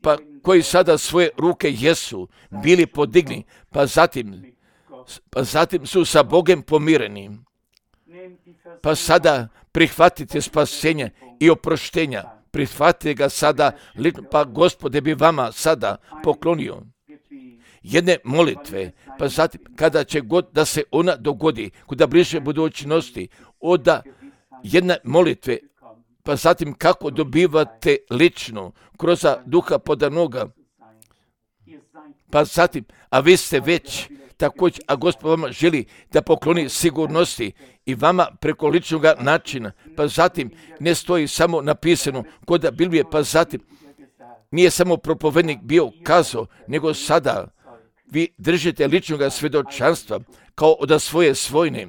pa koji sada svoje ruke jesu bili podigni, pa zatim, pa zatim su sa Bogom pomireni. Pa sada prihvatite spasenje i oproštenja, prihvatite ga sada, pa Gospode bi vama sada poklonio jedne molitve, pa zatim kada će god da se ona dogodi, kuda bliže budućnosti, oda jedne molitve, pa zatim kako dobivate lično kroz duha podanoga, pa zatim, a vi ste već također, a Gospod vama želi da pokloni sigurnosti i vama preko ličnog načina, pa zatim ne stoji samo napisano kod Biblije, pa zatim nije samo propovednik bio kazao, nego sada vi držite ličnog svjedočanstva kao od svoje svojne,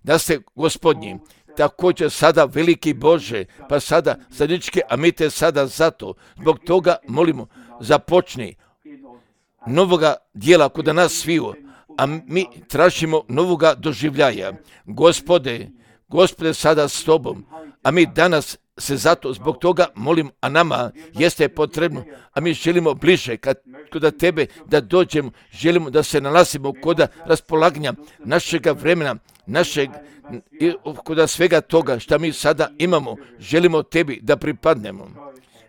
da ste Gospodnji. Također sada veliki Bože, pa sada zadničke, a mi te sada zato, zbog toga molimo, započni novoga dijela kod nas sviju, a mi tražimo novoga doživljaja. Gospode, Gospode sada s tobom, a mi danas se zato zbog toga molim, a nama jeste potrebno, a mi želimo bliže kad, kod tebe da dođemo, želimo da se nalazimo kod raspolaganja našega vremena, našeg, kod svega toga što mi sada imamo, želimo tebi da pripadnemo.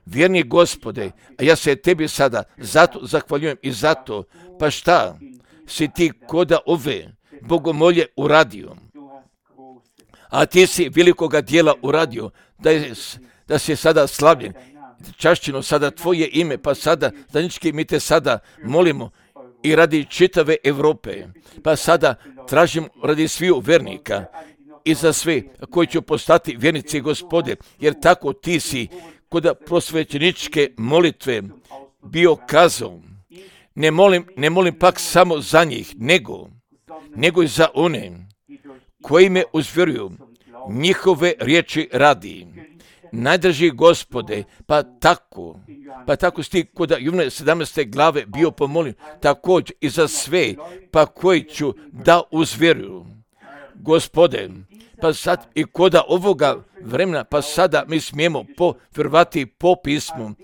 Vjerni Gospode, a ja se tebi sada zato zahvaljujem i zato, pa šta si ti koda ove bogomolje uradio? A ti si velikoga dijela uradio, da, je, da si sada slavljen, čašćeno sada tvoje ime, pa sada, zadnjički mi te sada molimo i radi čitave Europe, pa sada tražim radi sviju vernika i za sve koji će postati vjernici, Gospode, jer tako ti si kod prosvećeničke molitve bio kazao, ne molim, ne molim pak samo za njih, nego, nego i za one koji me uzvjeruju, njihove riječi radi. Najdrži Gospode, pa tako, pa tako si ti kod Jovana sedamnaeste glave bio pomolio, također i za sve, pa koji ću da uzvjeruju. Gospode, pa sad i kod ovoga vremena, pa sada mi smijemo povjerovati po pismu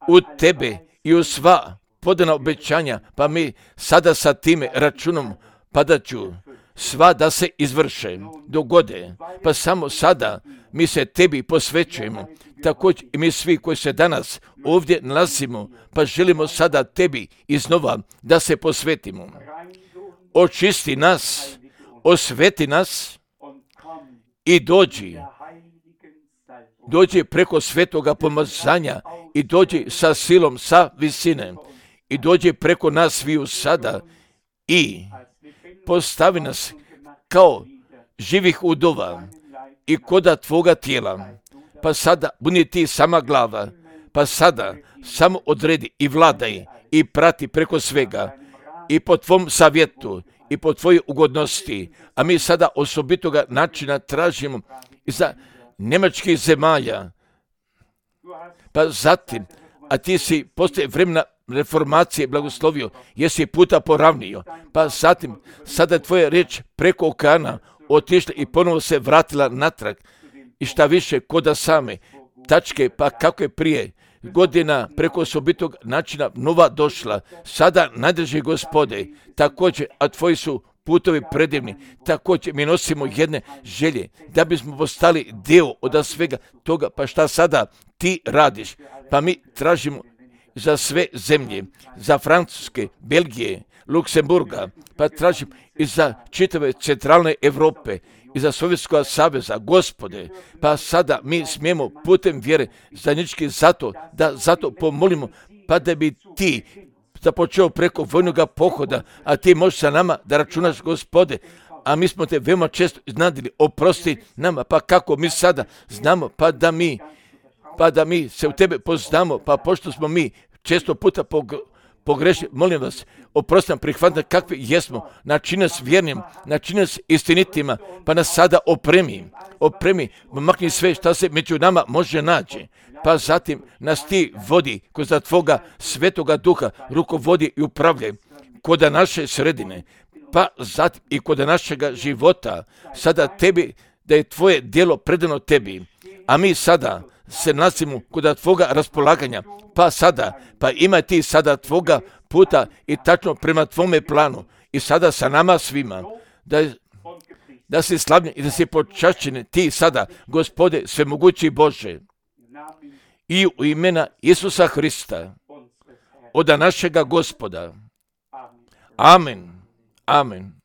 u tebe i u sva podana obećanja, pa mi sada sa time računom, pa da ću sva da se izvrše, dogode, pa samo sada mi se tebi posvećujemo, također i mi svi koji se danas ovdje nalazimo, pa želimo sada tebi iznova da se posvetimo. Očisti nas, osveti nas i dođi, dođi preko svetoga pomazanja i dođi sa silom, sa visine i dođi preko nas sviju sada i postavi nas kao živih udova i koda tvoga tijela, pa sada budi ti sama glava, pa sada samo odredi i vladaj i prati preko svega i po tvom savjetu i po tvojoj ugodnosti, a mi sada osobitoga načina tražimo i za njemačkih zemalja, pa zatim, a ti si poslije vremena reformacije blagoslovio, jesi puta poravnio, pa zatim sada je tvoja riječ preko okeana otišla i ponovo se vratila natrag i šta više koda same tačke, pa kako je prije godina preko osobitog načina nova došla, sada najdrži Gospode, također, a tvoji su putovi predivni, također mi nosimo jedne želje, da bismo postali dio od svega toga, pa šta sada ti radiš, pa mi tražimo za sve zemlje, za Francuske, Belgije, Luksemburga, pa tražim i za čitave centralne Europe, i za Sovjetskog saveza, Gospode, pa sada mi smijemo putem vjere zajednički zato, da zato pomolimo, pa da bi ti započeo preko vojnog pohoda, a ti možeš sa nama da računaš, Gospode, a mi smo te veoma često iznadili, oprosti nama, pa kako mi sada znamo, pa da mi, pa da mi se u tebe poznamo, pa pošto smo mi često puta pog, pogrešili, molim vas, oprosti nam, prihvatite kakvi jesmo, načini nas vjernim, načini nas istinitima, pa nas sada opremi, opremi, makni sve šta se među nama može naći, pa zatim nas ti vodi kroz tvoga svetoga duha, rukovodi i upravljaj kod naše sredine, pa zatim i kod našega života, sada tebi, da je tvoje djelo predano tebi, a mi sada se nalazimo kod tvoga raspolaganja, pa sada, pa ima ti sada tvoga puta i tačno prema tvome planu i sada sa nama svima, da, da si slavljen i da si počašćen ti sada, Gospode, svemogući Bože, i u imena Isusa Hrista, od našega Gospoda. Amen. Amen.